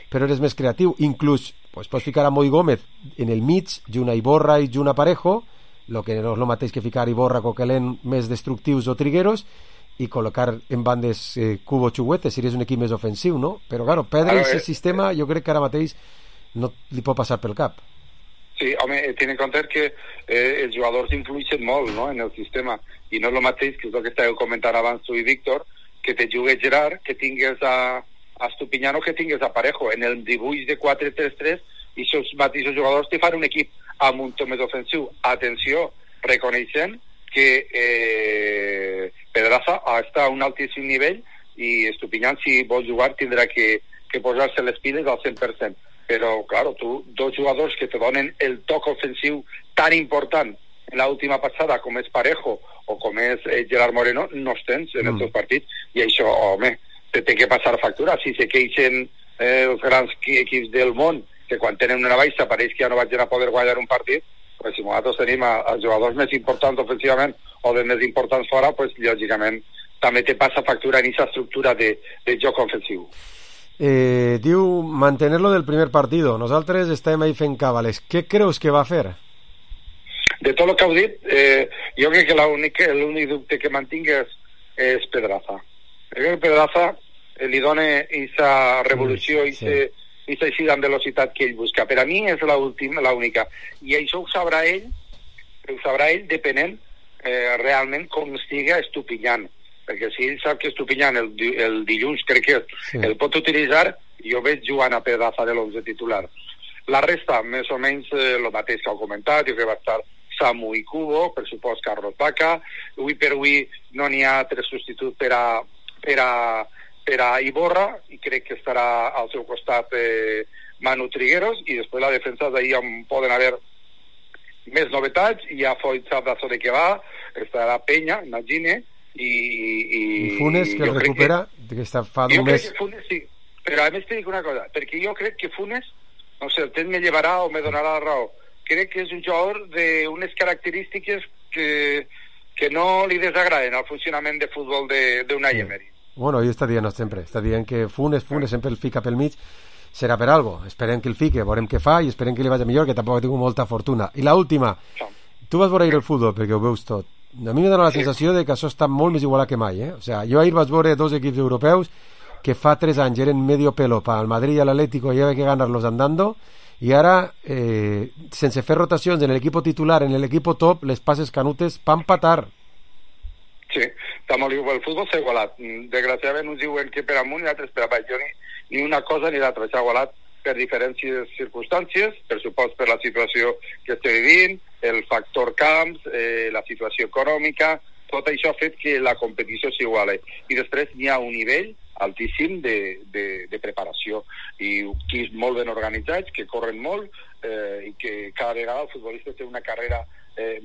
però eres més creatiu. Inclús pues, pots ficar a Moi Gómez en el mig, Juna Iborra i Juna Parejo, el que no és el mateix que ficar Iborra, Coquelin més destructius o trigueros, i col·locar en bandes Cubo Chuguete, si eres un equip més ofensiu, no? Però, claro, perdre aquest sistema jo crec que ara mateix no li pot passar pel cap. Sí, home, ten en compte que els jugadors influeixen molt, no?, en el sistema, i no és el mateix, que és el que estàveu comentant abans tu i Víctor, que te jugues Gerard, que tingues a Estupiñán o que tingues a Parejo. En el dibuix de 4-3-3, i aquests mateixos jugadors te fan un equip amb un to més ofensiu. Atenció, reconeixent que Pedraza està a un altíssim nivell, i Estupiñán, si vol jugar, tindrà que posar-se les piles al 100%. Però, claro, tu, dos jugadors que te donen el toc ofensiu tan important en l'última passada com és Parejo o com és Gerard Moreno, no els tens en els teus partits, i això, home, te té que passar factura. Si se queixen els grans equips del món, que quan tenen una baixa pareix que ja no vaig a poder guanyar un partit, pues si nosaltres tenim els jugadors més importants ofensivament o de més importants fora, pues lògicament també te passa factura en aquesta estructura de joc ofensiu. Diu mantenerlo del primer partido. Nosaltres estem ahí fent càbales. Què creus que va fer? De tot el que heu dit, jo crec que l'únic dubte que mantingues és Pedraza. Perquè Pedraza li dona aquesta revolució, aquesta eixida en velocitat que ell busca. Per a mi és l'única. I això ho sabrà ell depenent realment com estiga Estupiñán. Perquè si ell sap que Estupiñán el dilluns, crec que el pot utilitzar, jo veig jugant a Pedraza de l'11 titular. La resta, més o menys, el mateix que heu comentat, jo crec que va estar Samu i Kubo, per supost Carlos Baca. Avui per avui no n'hi ha altre substitut per a Iborra, i crec que estarà al seu costat Manu Trigueros, i després la defensa d'ahir on poden haver més novetats. Hi ha Foyt Sabdazo de que va, estarà Peña, imagine, i Funes, que el recupera, que està fa d'un mes. Jo crec que Funes sí, però a més t'he dit una cosa, perquè jo crec que Funes, no sé, el temps me llevarà o me donarà la raó, crec que és un jugador d'unes característiques que no li desagraden al funcionament de futbol d'Unai Emery. Bueno, ell està dient sempre, està dient que Funes sempre el fica pel mig, serà per algo, esperem que el fique, veurem què fa i esperem que li vagi millor, que tampoc ha tingut molta fortuna. I l'última, tu vas veure ahir el futbol perquè ho veus tot. A mi me dona la sensació de que això està molt més igualat que mai, O sea, jo ahir vaig veure dos equips europeus que fa 3 anys eren medio pelo para el Madrid y el Atlético, y había que ganarlos andando, y ara sense fer rotacions en l'equip titular, en l'equip top, les passes canutes pa empatar. Sí, està molt igual. El futbol s'ha igualat. Desgraciadament uns diuen que per amunt i altres per avall. Jo ni una cosa ni l'altra. S'ha igualat per diferents circumstàncies, per supost per la situació que estem vivint, el factor camps, la situació econòmica, tot això ha fet que la competició s'iguale. I després n'hi ha un nivell altíssim de preparació, i equips molt ben organitzats, que corren molt, i que cada vegada el futbolista té una carrera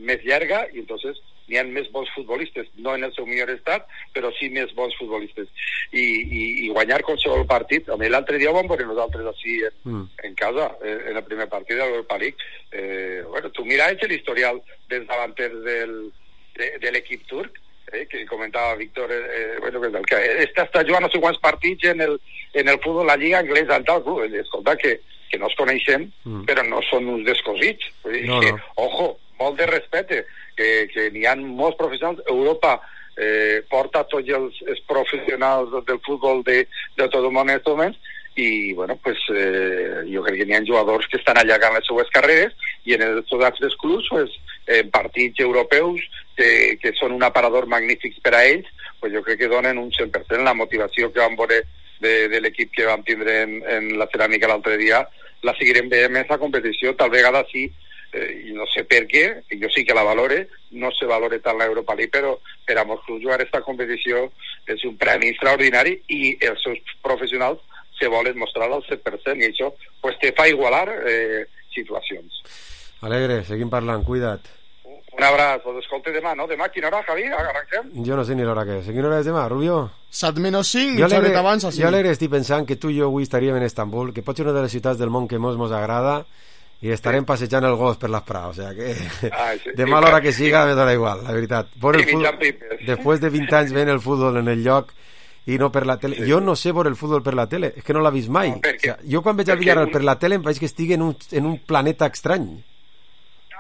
més llarga, i entonces n'hi ha més bons futbolistes, no en el seu millor estat, però sí més bons futbolistes. I guanyar qualsevol partit, l'altre dia ho vam veure nosaltres així en casa, en el primer partit de l'Europa League. Bueno, tu mira l'historial dels davanters de l'equip turc, que comentava Víctor, bueno, que està jugant no sé quants partits en el futbol, la lliga anglesa, escolta, que no es coneixem, però no són uns descosits. No. Ojo, molt de respecte, que n'hi ha molts professionals. Europa porta tots els professionals del futbol de tot el món en aquests moments, i bueno, pues jo crec que n'hi ha jugadors que estan allargant les seues carreres, i en els altres clubs, pues, en partits europeus que són un aparador magnífic per a ells, pues jo crec que donen un 100%. La motivació que vam veure de l'equip que vam tindre en la ceràmica l'altre dia, la seguirem veient en aquesta competició. Tal vegada sí, i no sé per què, jo sí que la valore, no se valore tant l'Europa League, però per a molts clubs jugar aquesta competició és un premi extraordinari, i els seus professionals se volen mostrar al 100%, i això pues, te fa igualar situacions. Alegre, seguim parlant, cuida't. Un abraç, us escolte demà, no? Demà, quina hora, Javi? Arrenquem? Jo no sé ni l'hora que és. Quina hora és demà, Rubio? 7:05, xerret abans, així. Jo alegre estic pensant que tu i jo avui estaríem en Estambul, que pot ser una de les ciutats del món que mos agrada, i estarem passejant el gos per les praus, o sea que demà a l'hora que siga me dona igual, la veritat. Després de 20 anys veient el futbol en el lloc i no per la tele. Jo no sé veure el futbol per la tele, és que no l'ha vist mai. Jo quan veig el Villarreal per la tele em veig que estigui en un planeta estrany.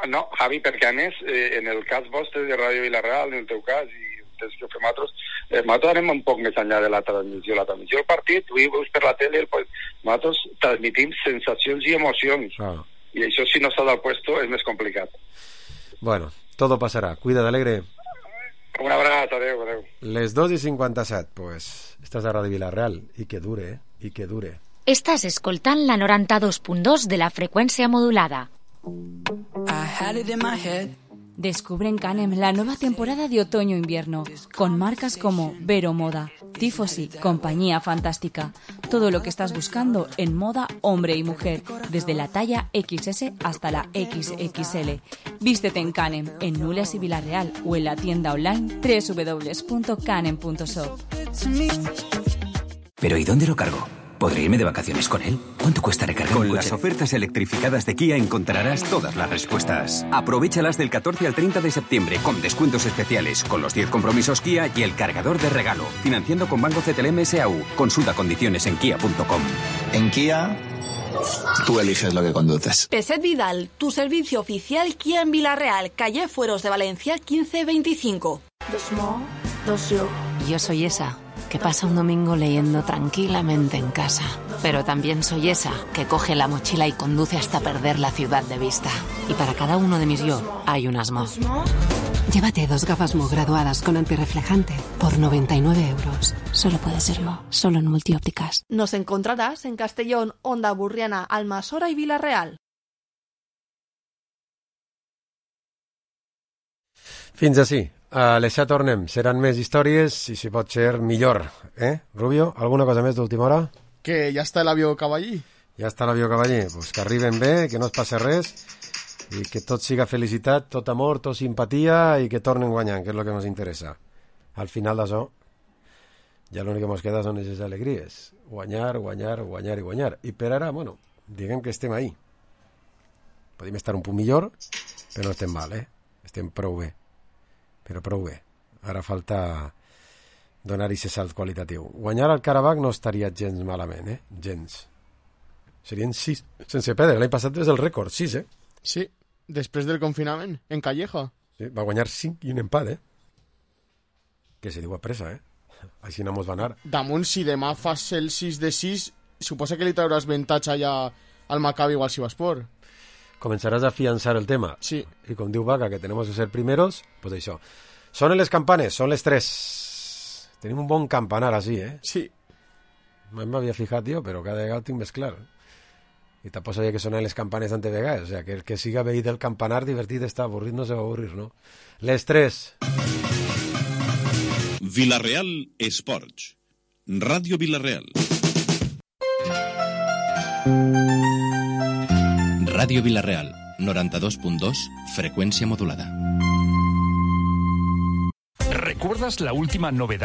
No, Javi, perquè a més, en el cas vostre de Ràdio Villarreal, en el teu cas, i des que ho fem nosaltres anem un poc més enllà de la transmissió. La transmissió del partit, tu veus per la tele, nosaltres transmitim sensacions i emocions. I això, si no s'ha del puesto, és més complicat. Bueno, todo pasará. Cuida't, Alegre. Un abraç, adeu. Les 2:57, pues, estàs a Ràdio Villarreal. I que dure, i que dure. Estàs escoltant la 92.2 de la freqüència modulada. Descubre en Canem la nueva temporada de otoño-invierno, con marcas como Vero Moda, Tifosi, Compañía Fantástica. Todo lo que estás buscando en moda hombre y mujer, desde la talla XS hasta la XXL. Vístete en Canem, en Nules y Villarreal, o en la tienda online www.canem.shop. ¿Pero y dónde lo cargo? ¿Podré irme de vacaciones con él? ¿Cuánto cuesta recargar un coche? Con las ofertas electrificadas de Kia encontrarás todas las respuestas. Aprovéchalas del 14 al 30 de septiembre con descuentos especiales, con los 10 compromisos Kia y el cargador de regalo. Financiando con Banco CTLM SAU. Consulta condiciones en kia.com. En Kia, tú eliges lo que conduces. Peset Vidal, tu servicio oficial Kia en Villarreal, calle Fueros de Valencia 1525. The small, the silk. Yo soy esa que pasa un domingo leyendo tranquilamente en casa. Pero también soy esa que coge la mochila y conduce hasta perder la ciudad de vista. Y para cada uno de mis yo hay un Asmo. Llévate 2 gafas Mo graduadas con antirreflejante por 99 euros. Solo puede ser Mo, solo en Multiópticas. Nos encontrarás en Castellón, Onda Burriana, Almasora y Vila-real. Fins ací. A les 7 tornem. Seran més històries i, si pot ser, millor. Rubio, alguna cosa més d'última hora? Que ja està l'avió cavallí. Ja està l'avió cavaller. Pues que arriben bé, que no es passi res i que tot siga felicitat, tot amor, tot simpatia i que tornen guanyant, que és el que ens interessa. Al final d'això, ja l'únic que ens queda són aquestes alegries. Guanyar, guanyar, guanyar i guanyar. I per ara, bueno, diguem que estem ahí. Podem estar un punt millor, però no estem mal, Estem prou bé. Però prou bé. Ara falta donar-hi aquest salt qualitatiu. Guanyar al Karabakh no estaria gens malament, gens. Serien 6 sense perdre. L'any passat és el rècord, 6, Sí, després del confinament, en Calleja. Sí, va guanyar 5 i un empat, Que se diu a pressa, Així no mos va anar. Damunt, si demà fas el 6 de 6, suposa que li trauràs avantatge allà al Maccabi o al Sivaspor. Comenzarás a afianzar el tema. Sí. Y con Diu Vaca, que tenemos que ser primeros, pues això. Sonen les campanes, són les 3. Tenim un bon campanar així, Sí. M'havia fijat jo, però cada vegada ho tinc més clar. I tampoc sabia que sonen les campanes tantes vegades. O sea, que el que siga veí del campanar divertit està, avorrit no se va avorrir, no? Les 3. Vila-real Esports. Ràdio Vila-real. Radio Vila-real, 92.2, frecuencia modulada. ¿Recuerdas la última novedad